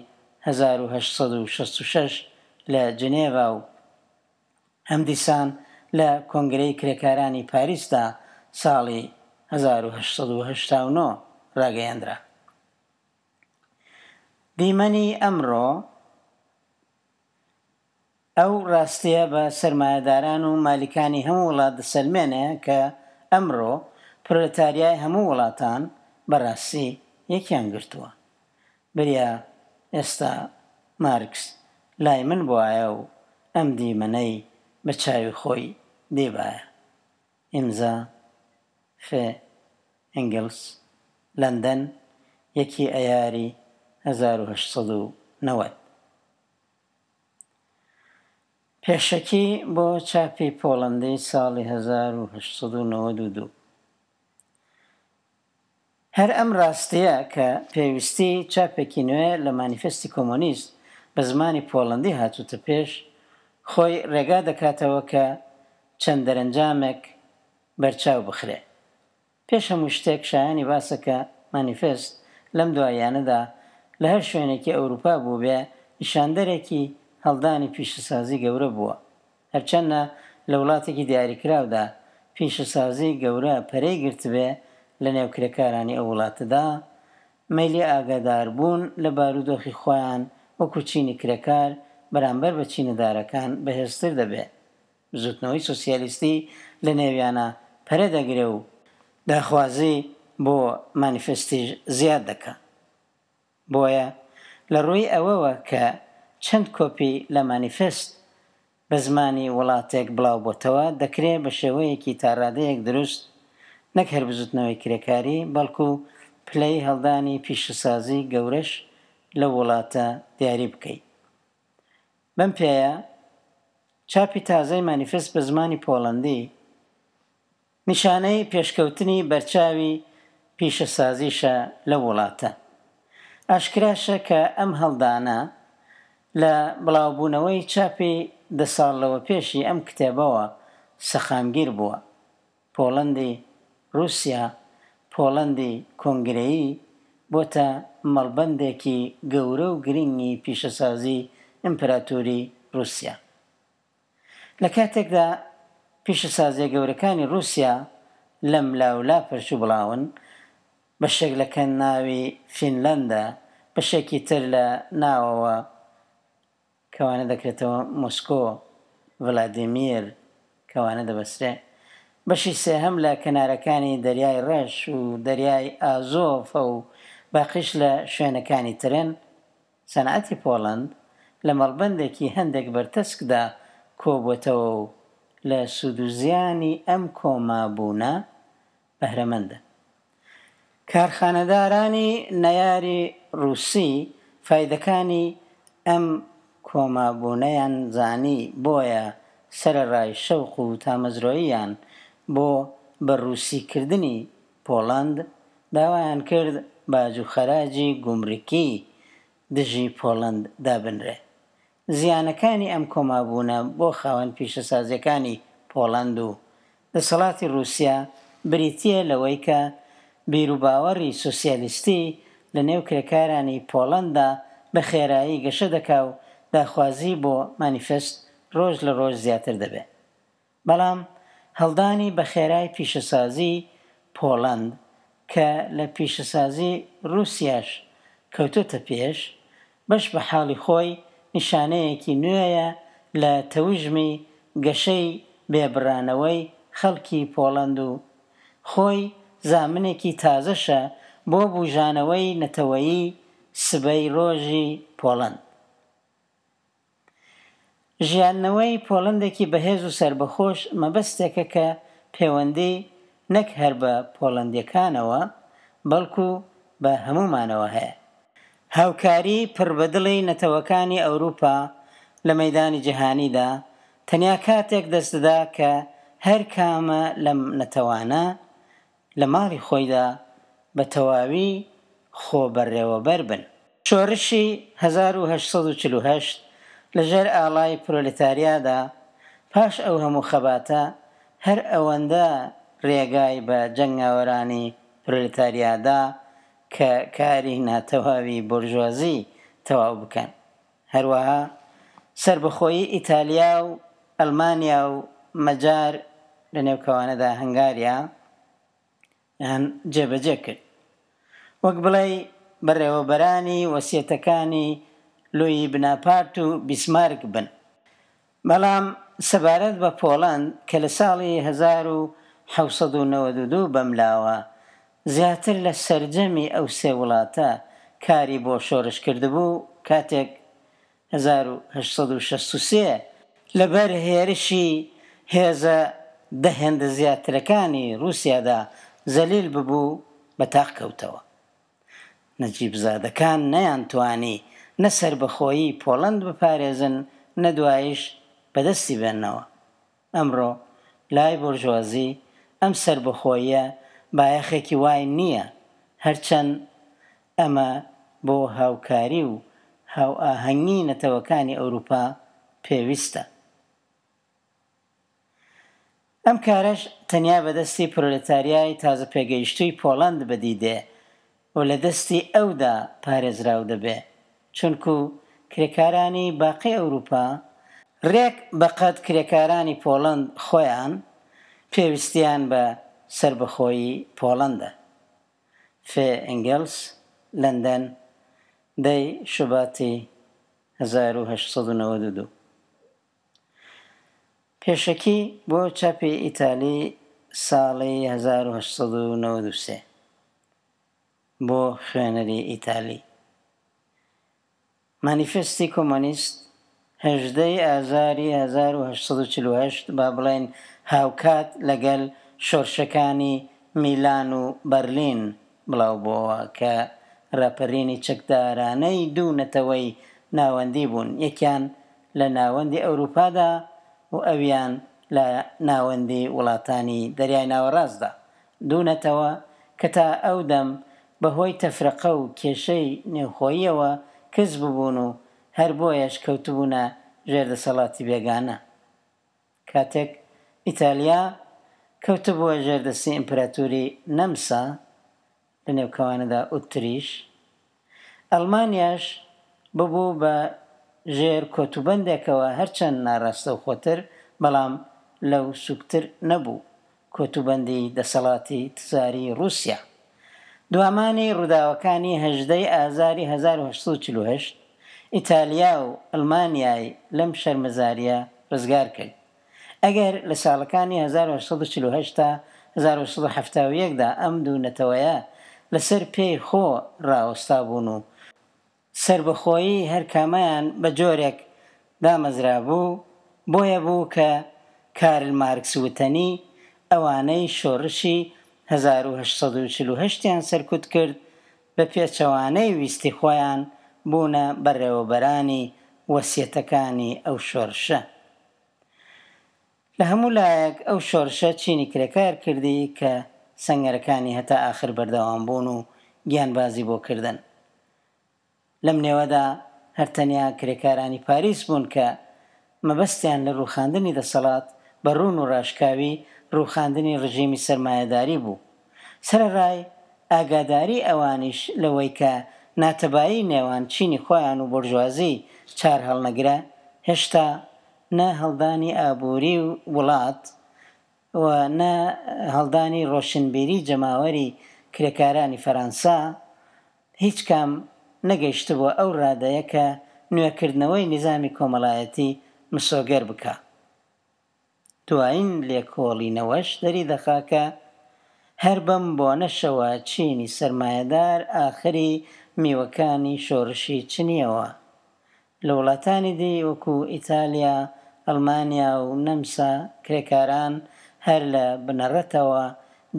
هەزار و هەشت سەد و شەست و شەش لە جنێڤا و هەمدیسان لە کۆنگرەی کرێکارانی پاریسدا ساڵی هەزار و هەشت سەد و هەشتا و نۆ ڕاگەیەندرا. دیمەنی ئەمڕۆ ئەو ڕاستیە بە سەرمایەداران و مالیکانی هەموو وڵات دەسەلمێنێ کە ئەمڕۆ پرۆلێتاریای هەموو وڵاتان بەڕاستی یەکیان گرتووە. بریا ئێستا مارکس لای من بوایە و ئەم دیمەنەی بە چاوی خۆی دیبایە. ئیمزا ف ئەنگلس، لەندەن، یەکی ئەیاری هەزار و هەشت سەد و نەوەد. پێشەکی بۆ چاپی پۆڵەندی ساڵی هەزار و هەشت سەد و نەوەد و دوو. هەر ئەم ڕاستیە کە پێویستی چاپێکی نوێ لە مانیفستی کۆمۆنیست بە زمانی پۆڵەندی هاتووتە پێش، خۆی ڕێگا دەکاتەوە کە چەند دەرەنجامێک بەرچاو بخرێ. پێش هەموو شتێک شایانی باسە کە مانیفست لەم دواییانەدا لە هەر شوێنێکی ئەوروپا بوو بێ نیشاندەرێکی هەڵدانی پیشەسازی گەورە بووە. هەرچەندە لە وڵاتێکی دیاریکراودا پیشەسازی گەورە پەرەی گرتبێ لە نێو کرێکارانی ئەو وڵاتەدا، مەیلی ئاگاداربوون لە بارودۆخی خۆیان وەکو چینی کرێکار بەرامبەر بە چینەدارەکان بەهێزتر دەبێ. بزوتنەوەی سۆسیالیستی لە نێویانە پەرە دەگرێ و داخوازی بۆ مانیفستیش زیاد دەکا. بۆیە لە ڕووی ئەوەوە کە چەند کۆپی لە مانیفست بە زمانی وڵاتێک بڵاو بۆتەوە دەکرێت بە شێوەیەکی تاڕادەیەک دروست نەک هەر بزوتنەوەی کرێکاری، بەڵکو پلەی هەڵدانی پیشەسازی گەورەش لە وڵاتە دیاری بکەیت. بەم پێیە چاپی تازەی مانیفست بە زمانی پۆڵەندی نیشانەی پێشکەوتنی بەرچاوی پیشەسازیشە لە وڵاتە. ئاشکراشە کە ئەم هەڵدانە لە بڵاوبوونەوەی چاپی دە ساڵ لەوە پێشی ئەم کتێبەوە سەقامگیر بووە. پۆڵەندی ڕووسیا، پۆڵەندی کۆنگرەیی بۆتە مەڵبەندێکی گەورە و گرنگی پیشەسازی ئیمپراتۆری ڕووسیا. لە کاتێکدا پیشەسازییە گەورەکانی ڕووسیا لەم لاولا پەرش و بڵاون، بەشێک لە کەناوی فینلەندە، بەشێکی تر لە ناوەوە کەوانە دەکرێتەوە مۆسکۆ، ڤلادیمیر کەوانە دەبەسرێ، بەشی سێهەم لە کەنارەکانی دەریای ڕەش و دەریای ئازۆفە و باقیش لە شوێنەکانی ترن. سەنعەتی پۆڵەند لە مەڵبەندێکی هەندێک بەرتەسکدا کۆبووەتەوە و لە سوود و زیانی ئەم کۆمابوونە بەهرەمەندە. کارخانەدارانی نەیاری ڕووسی فایدەکانی ئەم کۆمابوونەیان زانی، بۆیە سەرەڕای شەوق و تامەزرۆییان بۆ بە ڕووسیکردنی پۆڵەند، داوایان کرد باج و خەراجی گومرکی دژی پۆڵەند دابنرێ. زیانەکانی ئەم کۆمابوونە بۆ خاوەن پیشەسازیەکانی پۆڵەند و دەسەڵاتی ڕووسیا بریتییە لەوەی کە بیروباوەڕی سۆسیالیستی لە نێو کرێکارانی پۆڵەندا بە خێرایی گەشە دەکا و داخوازی بۆ مانیفێست ڕۆژ لە ڕۆژ زیاتر دەبێ. بەڵام هەڵدانی بە خێرای پیشەسازی پۆڵەند کە لە پیشەسازی ڕووسیاش کەوتۆتە پێش، بەش بە حاڵی خۆی نیشانەیەکی نوێیە لە تەوژمی گەشەی بێبڕانەوەی خەڵکی پۆڵەند و خۆی زامنێکی تازەشە بۆ بوژانەوەی نەتەوەیی سبەی ڕۆژی پۆڵەند. ژیاندنەوەی پۆڵەندێکی بەهێز و سەربەخۆش مەبەستێکە کە پەیوەندی نەک هەر بە پۆڵەندیەکانەوە بەڵکو بە هەموومانەوە هەیە. هاوکاری پڕبەدڵی نەتەوەکانی ئەوروپا لە مەیدانی جیهانیدا تەنیا کاتێک دەست دەدا کە هەر کامە لەم نەتەوانە لە ماڵی خۆیدا بە تەواوی خۆبەڕێوەبەر بن. شۆڕشی هەزار و هەشت سەد و چل و هەشت لەژێر ئاڵای پرۆلێتاریادا پاش ئەو هەموو خەباتە هەر ئەوەندە ڕێگای بە جەنگاوەرانی پرۆلێتاریادا کە کاری ناتەواوی بۆرژوازی تەواو بکەن. هەروەها سەربەخۆیی ئیتالیا و ئەڵمانیا و مەجار لە نێوکەوانەدا هەنگاریا یان جێبەجێ کرد. وەک بڵێ بەڕێوەبەرانی وەسیەتەکانی لویی بناپارت و بیسمارک بن. بەڵام سەبارەت بە پۆڵەند کە لە ساڵی هەزار و حەوت سەد و نەوەد و دوو بەملاوە زیاتر لە سەرجەمی ئەو سێ وڵاتە کاری بۆ شۆرش کردبوو، کاتێک هەزار و هەشت سەد و شەست و سێ لەبەر هێرشی هێزە دە هێندە زیاترەکانی ڕووسیادا زەلیل ببوو بە تاق کەوتەوە. نەجیبزادەکان نەیانتوانی نە سەربەخۆیی پۆڵەند بپارێزن نە دوایش بەدەستی بێننەوە. ئەمڕۆ لای بۆرژوازی ئەم سەربەخۆییە بایەخێکی وای نییە، هەرچەند ئەمە بۆ هاوکاری و هاوئاهەنگی نەتەوەکانی ئەوروپا پێویستە. ئەم کارەش تەنیا بەدەستی پرۆلێتاریای تازە پێگەیشتووی پۆڵەند بەدیدێ و لە دەستی ئەودا پارێزراو دەبێ، چونکو کرێکارانی باقی ئەوروپا ڕێک بەقەد کرێکارانی پۆڵەند خۆیان پێویستیان بە سەربەخۆیی پۆڵەندە. فێ ئەنگلس، لەندەن، دەی شوباتی هەزار و هەشت سەد و نەوەد و دوو. پێشەکی بۆ چاپی ئیتالی ساڵی هەزار و هەشت سەد و نەوەد و سێ بۆ خوێنەری ئیتالی. مانیفێستی کۆمۆنیست هەژدەی ئازاری هەزار و هەشت سەد و چل و هەشت با بڵێن هاوکات لەگەڵ شۆرشەکانی میلان و بەرلین بڵاو بووەوە کە ڕاپەرینی چەکدارانەی دوو نەتەوەی ناوەندی بوون، یەکیان لە ناوەندی ئەوروپادا و ئەویان لە ناوەندی وڵاتانی دەریای ناوەڕاستدا. دوو نەتەوە کە تا ئەو دەم بەهۆی تەفرەقە و کێشەی نێوخۆییەوە کز ببوون و هەر بۆیەش کەوتبوونە ژێر دەسەڵاتی بێگانە. کاتێک ئیتالیا کەوتبووە ژێر دەستی ئیمپراتوری نەمسا لە نێوکەوانەدا ئوتریش، ئەڵمانیاش ببوو بە ژێر کۆتوبەندێکەوە هەرچەند ناڕاستەوخۆتر، بەڵام لەو سووکتر نەبوو کۆتوبەندی دەسەڵاتی تزاری ڕووسیا. دوامانی ڕووداوەکانی هەژدە ی ئازاری هەزار و هەشت سەد و چل و هەشت ئیتالیا و ئەڵمانیای لەم شەرمەزارییە ڕزگار کرد. ئەگەر لە ساڵەکانی هەزار و هەشت سەد و چل و هەشت تا هەزار و هەشت سەد و حەفتا و یەک دا ئەم دوو نەتەوەیە لەسەر پێی خۆ ڕاوەستابوون و سەربەخۆیی هەر کامەیان بە جۆرێک دامەزرابوو، بۆیە بوو کە کارل مارکس وتەنی، ئەوانەی شۆڕشی هەزار و هەشت سەد و چل و هەشت یان سەرکوت کرد، بە پێچەوانەی ویستی خۆیان بوونە بەڕێوەبەرانی وەسیەتەکانی ئەو شۆڕشە. لە هەموو لایەک ئەو شۆڕشە چینی کرێکار کردی کە سەنگەرەکانی هەتا ئاخر بەردەوام بوون و گیانبازی بۆ کردن. لەم نێوەدا هەر تەنیا کرێکارانی پاریس بوون کە مەبەستیان لە ڕووخاندنی دەسەڵات بە ڕوون و ڕاشکاوی ڕووخاندنی ڕژیمی سەرمایەداری بوو. سەرەڕای ئاگاداری ئەوانیش لەوەی کە ناتەبایی نێوان چینی خۆیان و بۆرژوازی چارهەڵنەگرە، هێشتا نە هەڵدانی ئابووری وڵات و نە هەڵدانی ڕۆشنبیری جەماوەری کرێکارانی فەرانسە هیچ کام نەگەیشتبووە ئەو ڕادەیە کە نوێکردنەوەی نیزامی کۆمەڵایەتی مسۆگەر بکا. دوایین لێکۆڵینەوەش دەریدەخا کە هەر بەم بۆنەشەوە چینی سەرمایەدار ئاخری میوەکانی شۆڕشی چنییەوە. لە وڵاتانی دی وەکوو ئیتالیا، ئەڵمانیا و نەمسا کرێکاران هەر لە بنەڕەتەوە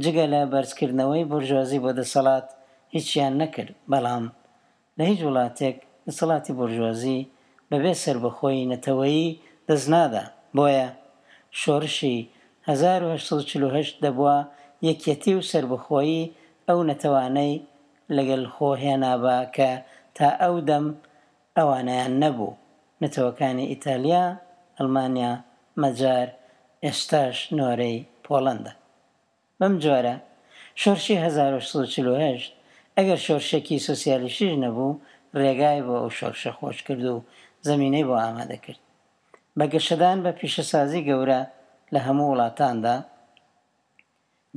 جگە لە بەرزکردنەوەی بۆرژوازی بۆ دەسەڵات هیچیان نەکرد، بەڵام لە هیچ وڵاتێک دەسەڵاتی بۆرژوازی بەبێ سەربەخۆیی نەتەوەیی دەست نادا، بۆیە شۆڕشی هەزار و هەشت سەد و چل و هەشت دەبوا یەکیەتی و سەربەخۆیی ئەو نەتەوانەی لەگەل خۆ هێنابا کە تا ئەو دەم ئەوانەیان نەبوو، نەتەوەکانی ئیتالیا، ئەڵمانیا، مەجار، ئێستاش نۆرەی پۆڵەندە. بەم جۆرە شۆرشی هەزار و هەشت سەد و چل و هەشت ئەگەر شۆرشێکی سۆسیالیستیش نەبوو، رێگای بۆ ئەو شۆرشە خۆش کرد و زەمینەی بۆ ئامادە کرد. بە گەشەدان بە پیشەسازی گەورە لە هەموو وڵاتاندا،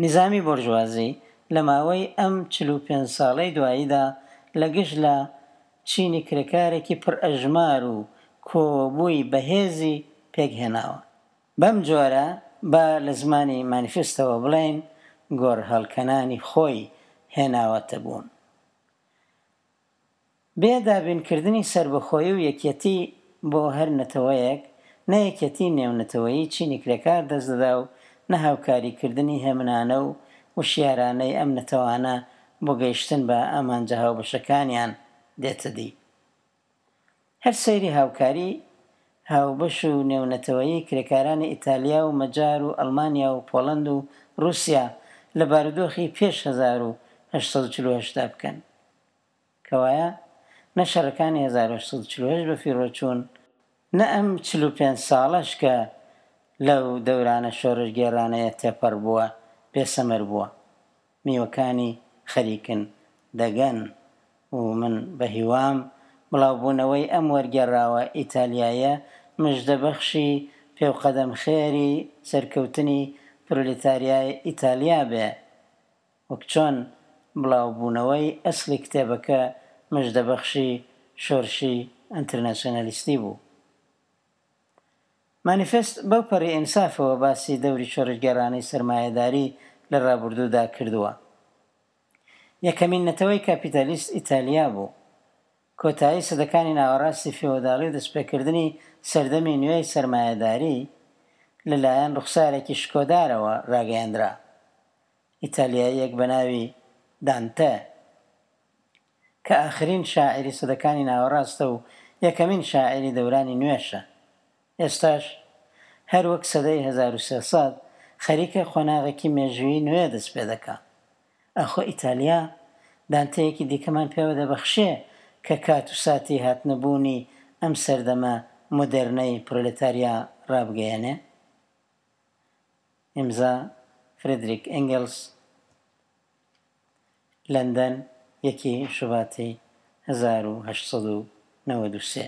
نیزامی بۆرژوازی لە ماوەی ئەم چل و پێنج ساڵەی دواییدا لە گشت لا چینی کرێکارێکی پڕئەژمار و کۆوەبووی بەهێزی پێک هێناوە. بەم جۆرە با لە زمانی مانیفستەوە بڵێین گۆڕهەڵکەنانی خۆی هێناوەتە بوون. بێ دابینکردنی سەربەخۆیی و یەکیەتی بۆ هەر نەتەوەیەک، نە یەکیەتی نێونەتەوەیی چینی کرێکار دەست دەدا و نە هاوکاریکردنی هێمنانە و وشیارانەی ئەم نەتەوانە بۆ گەیشتن بە ئامانجە هاوبەشەکانیان دێتە دی. هەر سەیری هاوکاری هاوبەش و نێونەتەوەیی کرێکارانی ئیتالیا و مەجار و ئەڵمانیا و پۆڵەند و ڕووسیا لە بارودۆخی پێش هەزار و هەشت سەد و چل و هەشت دا بکەن. کەوایە نە شەڕەکانی هەزار و هەشت سەد و چل و هەشت بەفیڕۆ چوون، نە ئەم چل و پێنج ساڵەش کە لەو دەورانە شۆڕشگێڕانەیە تێپەڕ بووە، بێسەمەر بووە. میوەکانی خەریکن دەگەن و من بە هیوام بڵاوبوونەوەی ئەم وەرگێڕاوە ئیتالیاییە مژدەبەخشی پێوقەدەمخێری سەرکەوتنی پرۆلیتاریای ئیتالیا بێ، وەک چۆن بڵاوبوونەوەی ئەسڵی کتێبەکە مژدەبەخشی شۆرشی ئەنترناسیۆنالیستی بوو. مانیفێست بەو پەڕی ئینسافەوە باسی دەوری شۆڕشگێڕانەی سەرمایەداری لە ڕابوردوودا کردووە. یەکەمین نەتەوەی کاپیتالیست ئیتالیا بوو. کۆتایی سەدەکانی ناوەڕاستی فیۆداڵی و دەستپێکردنی سەردەمی نوێی سەرمایەداری لە لایەن ڕوخسارێکی شکۆدارەوە ڕاگەیەندرا. ئیتالیاییەک بە ناوی دانتە کە ئاخرین شاعیری سەدەکانی ناوەڕاستە و یەکەمین شاعیری دەورانی نوێشە، ئێستاش هەر وەک سەدەی هەزار و سێ سەد خەریکە قۆناغێکی مێژوویی نوێ دەست پێ دەکا. ئاخۆ ئیتالیا دانتەیەکی دیکەمان پێوە دەبەخشێ کە کات و ساتی هاتنەبوونی ئەم سەردەمە مۆدێرنەی پرۆلێتاریا ڕابگەیەنێ؟ ئیمزا، فرێدریک ئێنگێلس، لەندەن، یەکی شوباتی هەزار و هەشت سەد و نەوەد و سێ.